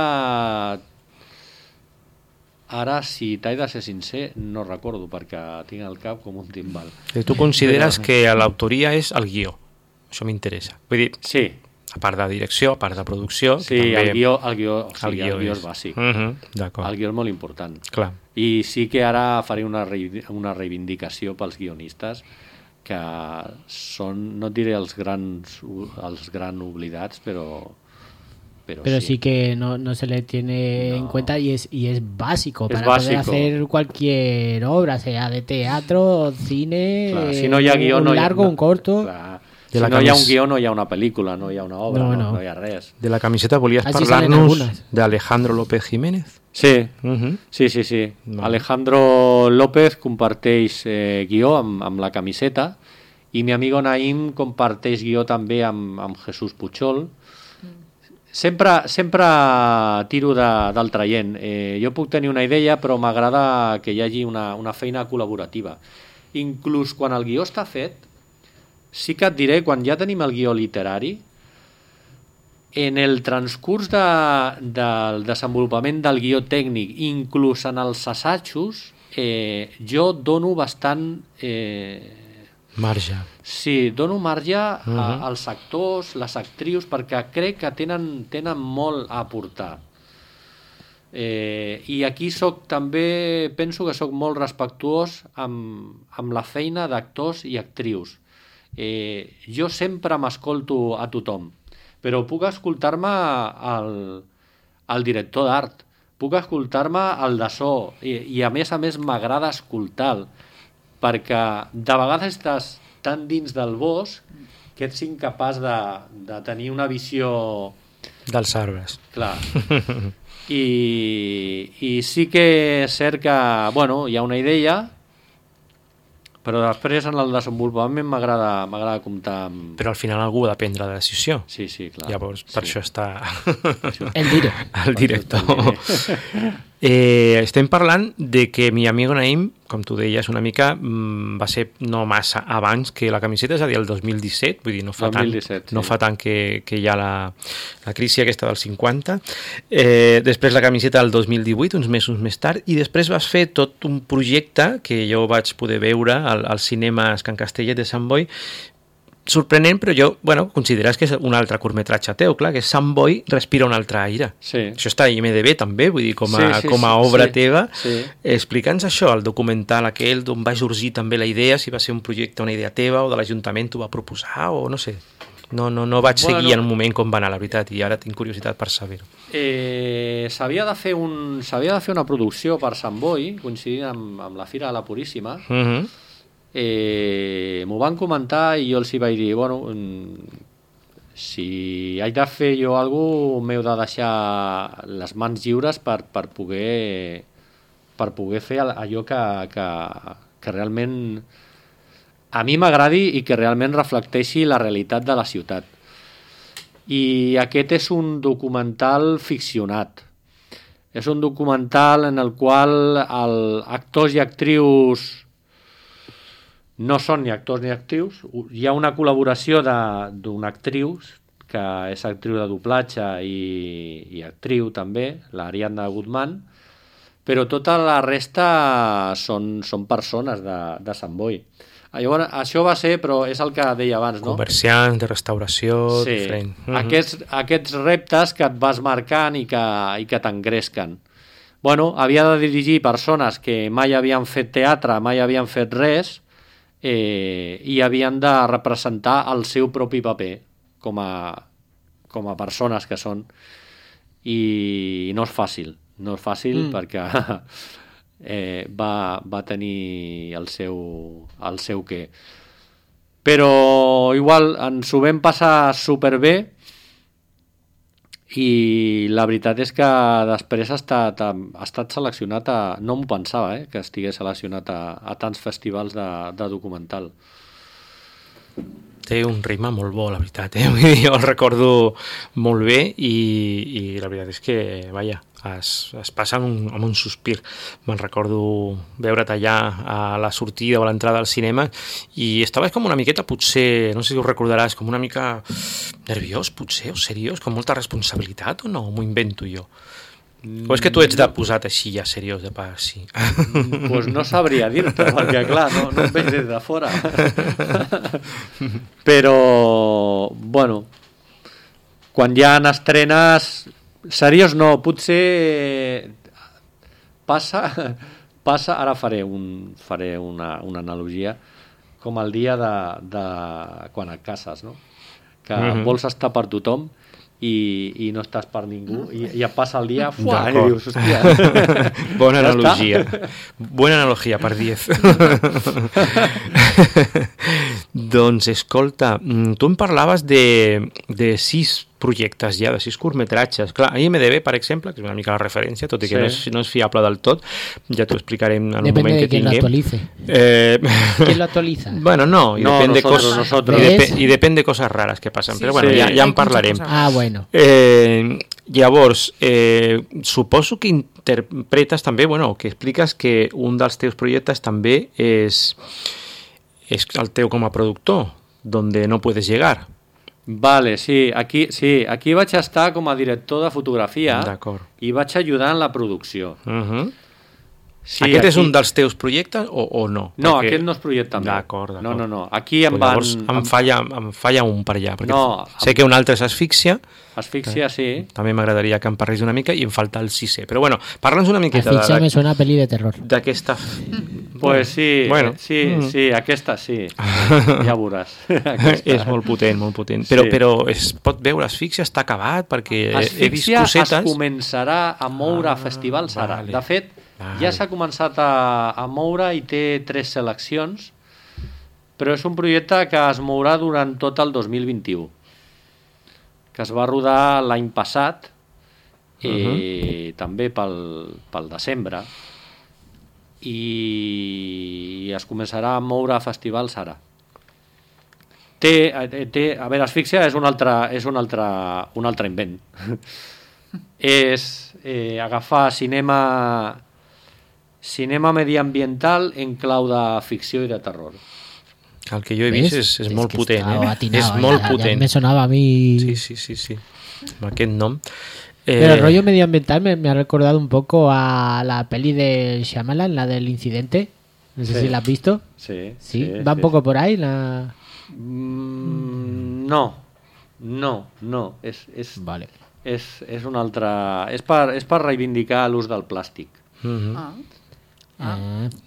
ara, si t'he de ser sincer, no recordo, perquè tinc el cap com un timbal. Tu consideres que l'autoria és el guió? Això m'interessa. Vull dir, sí. A part de direcció, a part de producció... Sí, el guió és bàsic. D'acord. El guió és molt important. Clar. I sí que ara faré una reivindicació pels guionistes, que són, no et diré els grans oblidats, però sí que no se le tiene en cuenta y es básico para poder hacer cualquier obra, sea de teatro, cine, claro, si no hi ha guió, un largo, un corto. Clar. Si no hi ha un guió, no hi ha una pel·lícula, no hi ha una obra, no hi ha res. De la camiseta volies parlar-nos d'Alejandro López Jiménez? Sí. Sí. Vale. Alejandro López comparteix guió amb la camiseta i mi amigo Naim comparteix guió també amb Jesús Puchol. Sempre tiro del traient. Jo puc tenir una idea, però m'agrada que hi hagi una feina col·laborativa. Inclús quan el guió està fet, sí que et diré, quan ja tenim el guió literari, en el transcurs del desenvolupament del guió tècnic, inclús en els assajos, jo dono bastant... marge. Sí, dono marge als actors, les actrius, perquè crec que tenen molt a aportar. I aquí també penso que soc molt respectuós amb la feina d'actors i actrius. Jo sempre m'escolto a tothom, però puc escoltar-me al director d'art, puc escoltar-me al de so, i a més m'agrada escoltar-lo, perquè de vegades estàs tan dins del bosc que ets incapaç de tenir una visió dels arbres. Clar. I sí que és cert que hi ha una idea, però després en el desenvolupament m'agrada comptar amb... Però al final algú ha de prendre la decisió. Sí, clar. Llavors, per això està... El director. Estem parlant de que mi amigo Naim, com tu deies una mica, va ser no massa abans que la camiseta, és a dir, el 2017, vull dir, no fa 2017, tant, no fa tant que hi ha la crisi aquesta del 50, després la camiseta del 2018, uns mesos més tard, i després vas fer tot un projecte que jo vaig poder veure als cinemes Can Castellet de Sant Boi, sorprenent, però jo, consideres que és un altre curtmetratge teu, clar, que Sant Boi respira un altre aire. Sí. Això està a IMDb també, vull dir, com a obra teva. Sí. Explica'ns això, el documental aquell, d'on va sorgir també la idea, si va ser un projecte, una idea teva, o de l'Ajuntament t'ho va proposar, o no sé. No vaig seguir en un moment com va anar, la veritat, i ara tinc curiositat per saber-ho. S'havia de fer una producció per Sant Boi, coincidint amb la Fira de la Puríssima. M'ho van comentar i jo els hi vaig dir, si haig de fer jo alguna cosa, m'heu de deixar les mans lliures per poder fer allò que realment a mi m'agradi i que realment reflecteixi la realitat de la ciutat. I aquest és un documental ficcionat. És un documental en el qual actors i actrius no són ni actors ni actrius. Hi ha una col·laboració d'una actriu, que és actriu de doblatge i actriu també, l'Ariadna Guzmán, però tota la resta són persones de Sant Boi. Llavors, això va ser, però és el que deia abans, no? Comerciants, de restauració, sí. diferent. Aquests reptes que et vas marcant i que t'engresquen. Bueno, havia de dirigir persones que mai havien fet teatre, mai havien fet res, i havien de representar el seu propi paper com a persones que són, i no és fàcil perquè va tenir el seu què, però igual ens ho vam passar superbé, i la veritat és que després ha estat seleccionat no m'ho pensava, que estigués seleccionat a tants festivals de documental. Té un ritme molt bo, la veritat, jo el recordo molt bé, i la veritat és que, vaja, es passa amb un sospir. Me'n recordo veure't allà a la sortida o a l'entrada del cinema, i estaves com una miqueta, potser, no sé si ho recordaràs, com una mica nerviós, potser, o seriós, com molta responsabilitat, o no? M'ho invento jo? O és que tu ets de posat així ja seriós, de part, sí? Pues no sabria dir-te, perquè clar, no em veig des de fora. Però, bueno, quan hi ha estrenes... Seriós no, potser passa, ara faré una analogia, com el dia de quan et cases, no? Que vols estar per tothom i no estàs per ningú, i et passa el dia, i dius, hòstia... Bona analogia. Bona analogia, per 10. Doncs, escolta, tu em parlaves de 6 projectes ja, de 6 curtmetratges. Clar, a IMDb, per exemple, que és una mica la referència, tot i que no és fiable del tot, ja t'ho explicarem en un moment que tinguem. Depende de quién lo actualice. ¿Quién lo actualiza? Bueno, no, y depende y depende de cosas raras que passen, però bueno, ja en parlarem. Ah, bueno. Llavors, suposo que interpretes també, bueno, que expliques que un dels teus projectes també és el teu com a productor, donde no puedes llegar. Vale, sí, aquí vaig estar com a director de fotografia i vaig ajudar en la producció. Sí, aquest és un dels teus projectes o no? No, aquest no és projecte meu. D'acord. No. Aquí em van... Em falla un per allà, perquè sé que un altre és Asfíxia. Asfíxia, sí. També m'agradaria que em parlis una mica, i em falta el 6è. Però bueno, parla'ns una miqueta Asfíxia me suena a peli de terror. D'aquesta... Pues sí, bueno. Sí, aquesta sí. Ja veuràs. És molt potent. Però es pot veure, Asfíxia està acabat, perquè he vist cosetes... Asfíxia es començarà a moure a festivals ara. De fet, ja s'ha començat a moure i té 3 seleccions, però és un projecte que es mourà durant tot el 2021, que es va rodar l'any passat, també pel desembre, i es començarà a moure a festivals ara. A veure, Asfíxia és un altre invent. És agafar cinema mediambiental en clau de ficció i de terror. El que jo he vist és molt potent. És molt potent. Ja me sonava a mi... Sí. Amb aquest nom. Pero el rollo medioambiental me ha recordado un poco a la peli de Shyamalan, la del incidente. No sé si la has visto. Sí. ¿Va un poco por ahí? No. Vale. És un altre... És per reivindicar l'ús del plàstic.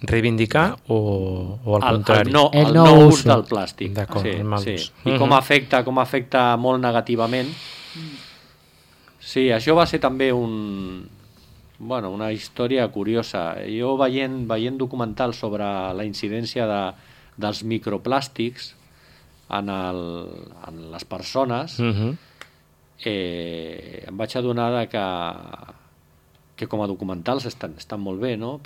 Reivindicar o al contrari? El no ús del plàstic. D'acord, sí. I com afecta molt negativament. Sí, això va ser també una història curiosa. Jo veient documentals sobre la incidència dels microplàstics en les persones, em vaig adonar que com a documentals estan molt bé, no?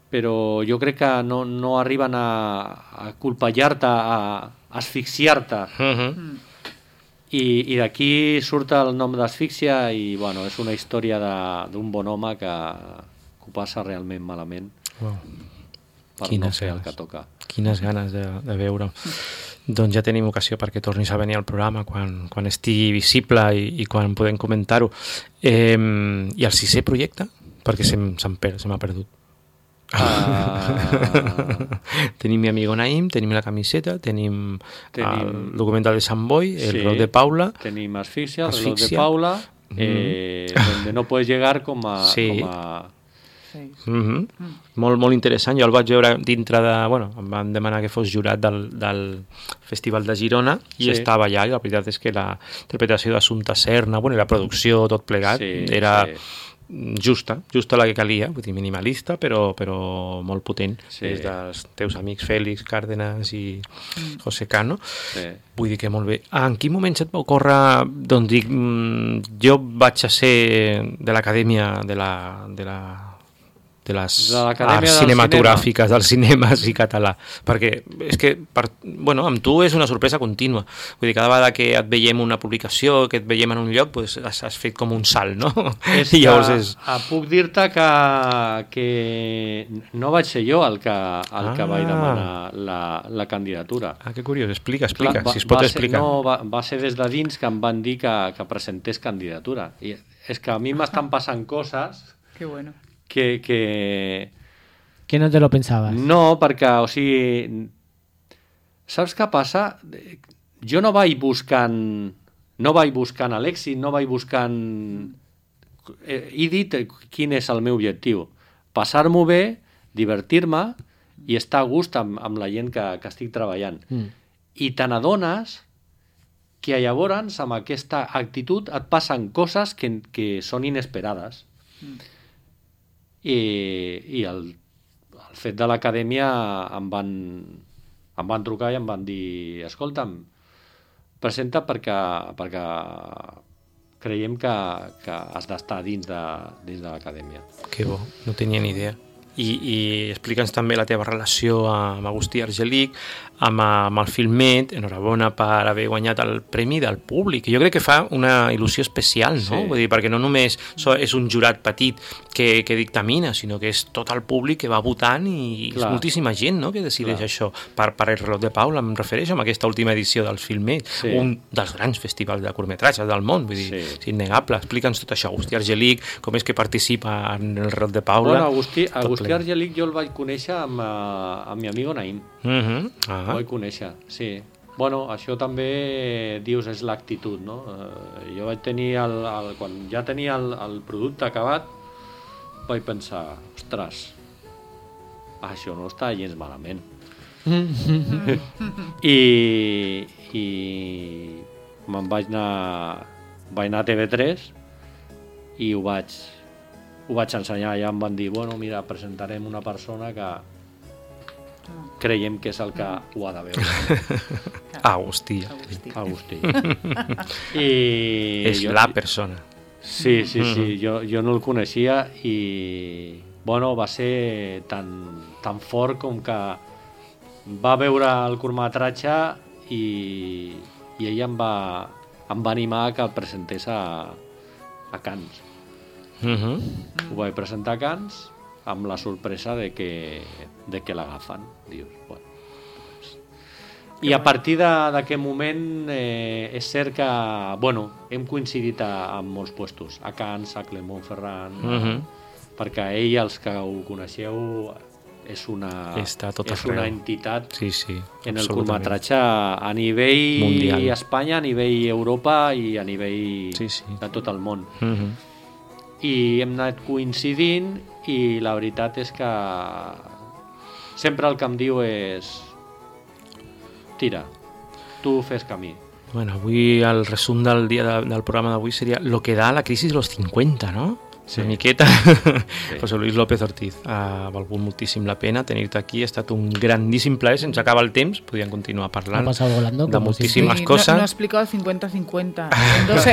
Però jo crec que no arriben a colpejar-te, a asfixiar-te. I d'aquí surt el nom d'Asfíxia, i bueno, és una història d'un bon home que ho passa realment malament per no fer el que toca. Quines ganes de veure. doncs ja tenim ocasió perquè tornis a venir al programa quan estigui visible i quan podem comentar-ho. I el 6è projecte? Perquè se m'ha perdut. Tenim mi amigo Naim, tenim la camiseta, tenim el documental de Sant Boi, el reloj de Paula. Tenim Asfixia, el reloj de Paula, donde no puedes llegar com a... Molt, molt interessant. Jo el vaig veure dintre de... Bueno, em van demanar que fos jurat del Festival de Girona i estava allà, i la veritat és que la interpretació d'Assumpta Serna, bueno, i la producció, tot plegat, era justa la que calia, vull dir, minimalista, però molt potent, des dels teus amics Fèlix Cárdenas i José Cano. Vull dir que molt bé. En quin moment se't va ocórrer, doncs dic, jo vaig a ser de l'acadèmia de les arts cinematogràfiques dels cinemes i català, perquè és que amb tu és una sorpresa contínua, vull dir, cada vegada que et veiem una publicació, que et veiem en un lloc, pues has fet com un salt, no? I llavors puc dir-te que no vaig ser jo el que vaig demanar la candidatura. Que curiós, explica, si es pot explicar. Va ser des de dins que em van dir que presentés candidatura, i és que a mi m'estan passant coses que no te lo pensabas. No, perquè, o sigui, saps què passa? Jo no vaig buscant a l'èxit, no vaig buscant... He dit quin és el meu objectiu. Passar-m'ho bé, divertir-me i estar a gust amb la gent que estic treballant. I te n'adones que llavors amb aquesta actitud et passen coses que són inesperades. I el fet de l'acadèmia em van trucar i em van dir, escolta'm, presenta perquè creiem que has d'estar dins de l'acadèmia. Que bo, no tenia ni idea. I explica'ns també la teva relació amb Agustí Argelic, amb el Filmet. Enhorabona per haver guanyat el premi del públic. Jo crec que fa una il·lusió especial, no? Vull dir, perquè no només és un jurat petit que dictamina, sinó que és tot el públic que va votant i és moltíssima gent, no?, que decideix això. Per el reloj de Paula em refereixo amb aquesta última edició del Filmet, un dels grans festivals de curtmetratges del món, vull dir, és innegable. Explica'ns tot això, Agustí Argelic, com és que participa en el reloj de Paula. Bueno, Agustí Argelic jo el vaig conèixer amb mi amigo Naim. El vaig conèixer, sí. Bueno, això també, dius, és l'actitud, no? Jo vaig tenir, quan ja tenia el producte acabat, vaig pensar, ostres, això no està gens malament. I me'n vaig anar a TV3 i ho vaig ensenyar, ja em van dir, bueno, mira, presentarem una persona que creiem que és el que ho ha de veure. Agustí. És la persona. Sí, jo no el coneixia i, bueno, va ser tan fort com que va veure el curtmetratge i ella em va animar que el presentés a Cannes. Ho vaig presentar a Cannes amb la sorpresa de que l'agafen. Dius, bueno, i a partir d'aquest moment és cert que, bueno, hem coincidit en molts puestos, a Cannes, a Clermont-Ferrand, perquè ell, els que ho coneixeu, és una entitat en el curtmetratge a nivell mundial. Espanya, a nivell Europa i a nivell de tot el món. I hem anat coincidint i la veritat és que sempre el que em diu és tira, tu fes camí. Bueno, avui el resum del programa d'avui seria lo que da la crisi de los 50, ¿no? Una miqueta. José Luis López Ortiz, ha valgut moltíssim la pena tenir-te aquí, ha estat un grandíssim plaer, se'ns acaba el temps, podríem continuar parlant de moltíssimes coses. No ha explicado el 50-50.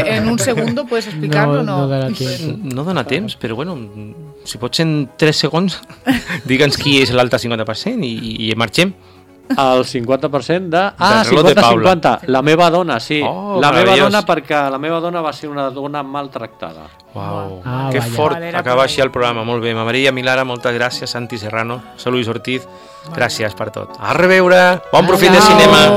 En un segundo puedes explicarlo, ¿no? No dona temps, però bueno, si pots en 3 segons, digue'ns qui és l'altre 50% i marxem. El 50% de... 50-50. La meva dona, sí. La meva dona, perquè la meva dona va ser una dona maltractada. Uau, que fort acabar així el programa. Molt bé, Maria Milara, moltes gràcies. Santi Serrano, José Luis Ortiz, gràcies per tot. A reveure, bon profit de cinema.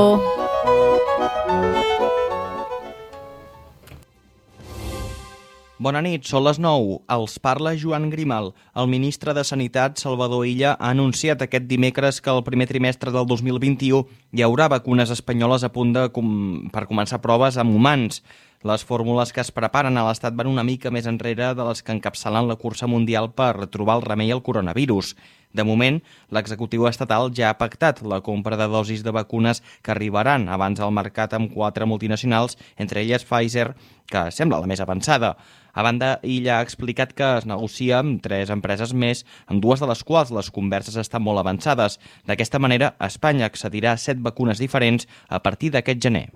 Bona nit, són les 9. Els parla Joan Grimal. El ministre de Sanitat, Salvador Illa, ha anunciat aquest dimecres que el primer trimestre del 2021 hi haurà vacunes espanyoles a punt per començar proves amb humans. Les fórmules que es preparen a l'Estat van una mica més enrere de les que encapçalen la cursa mundial per trobar el remei al coronavirus. De moment, l'executiu estatal ja ha pactat la compra de dosis de vacunes que arribaran abans al mercat amb 4 multinacionals, entre elles Pfizer, que sembla la més avançada. A banda, ella ha explicat que es negocia amb 3 empreses més, amb 2 de les quals les converses estan molt avançades. D'aquesta manera, Espanya accedirà a 7 vacunes diferents a partir d'aquest gener.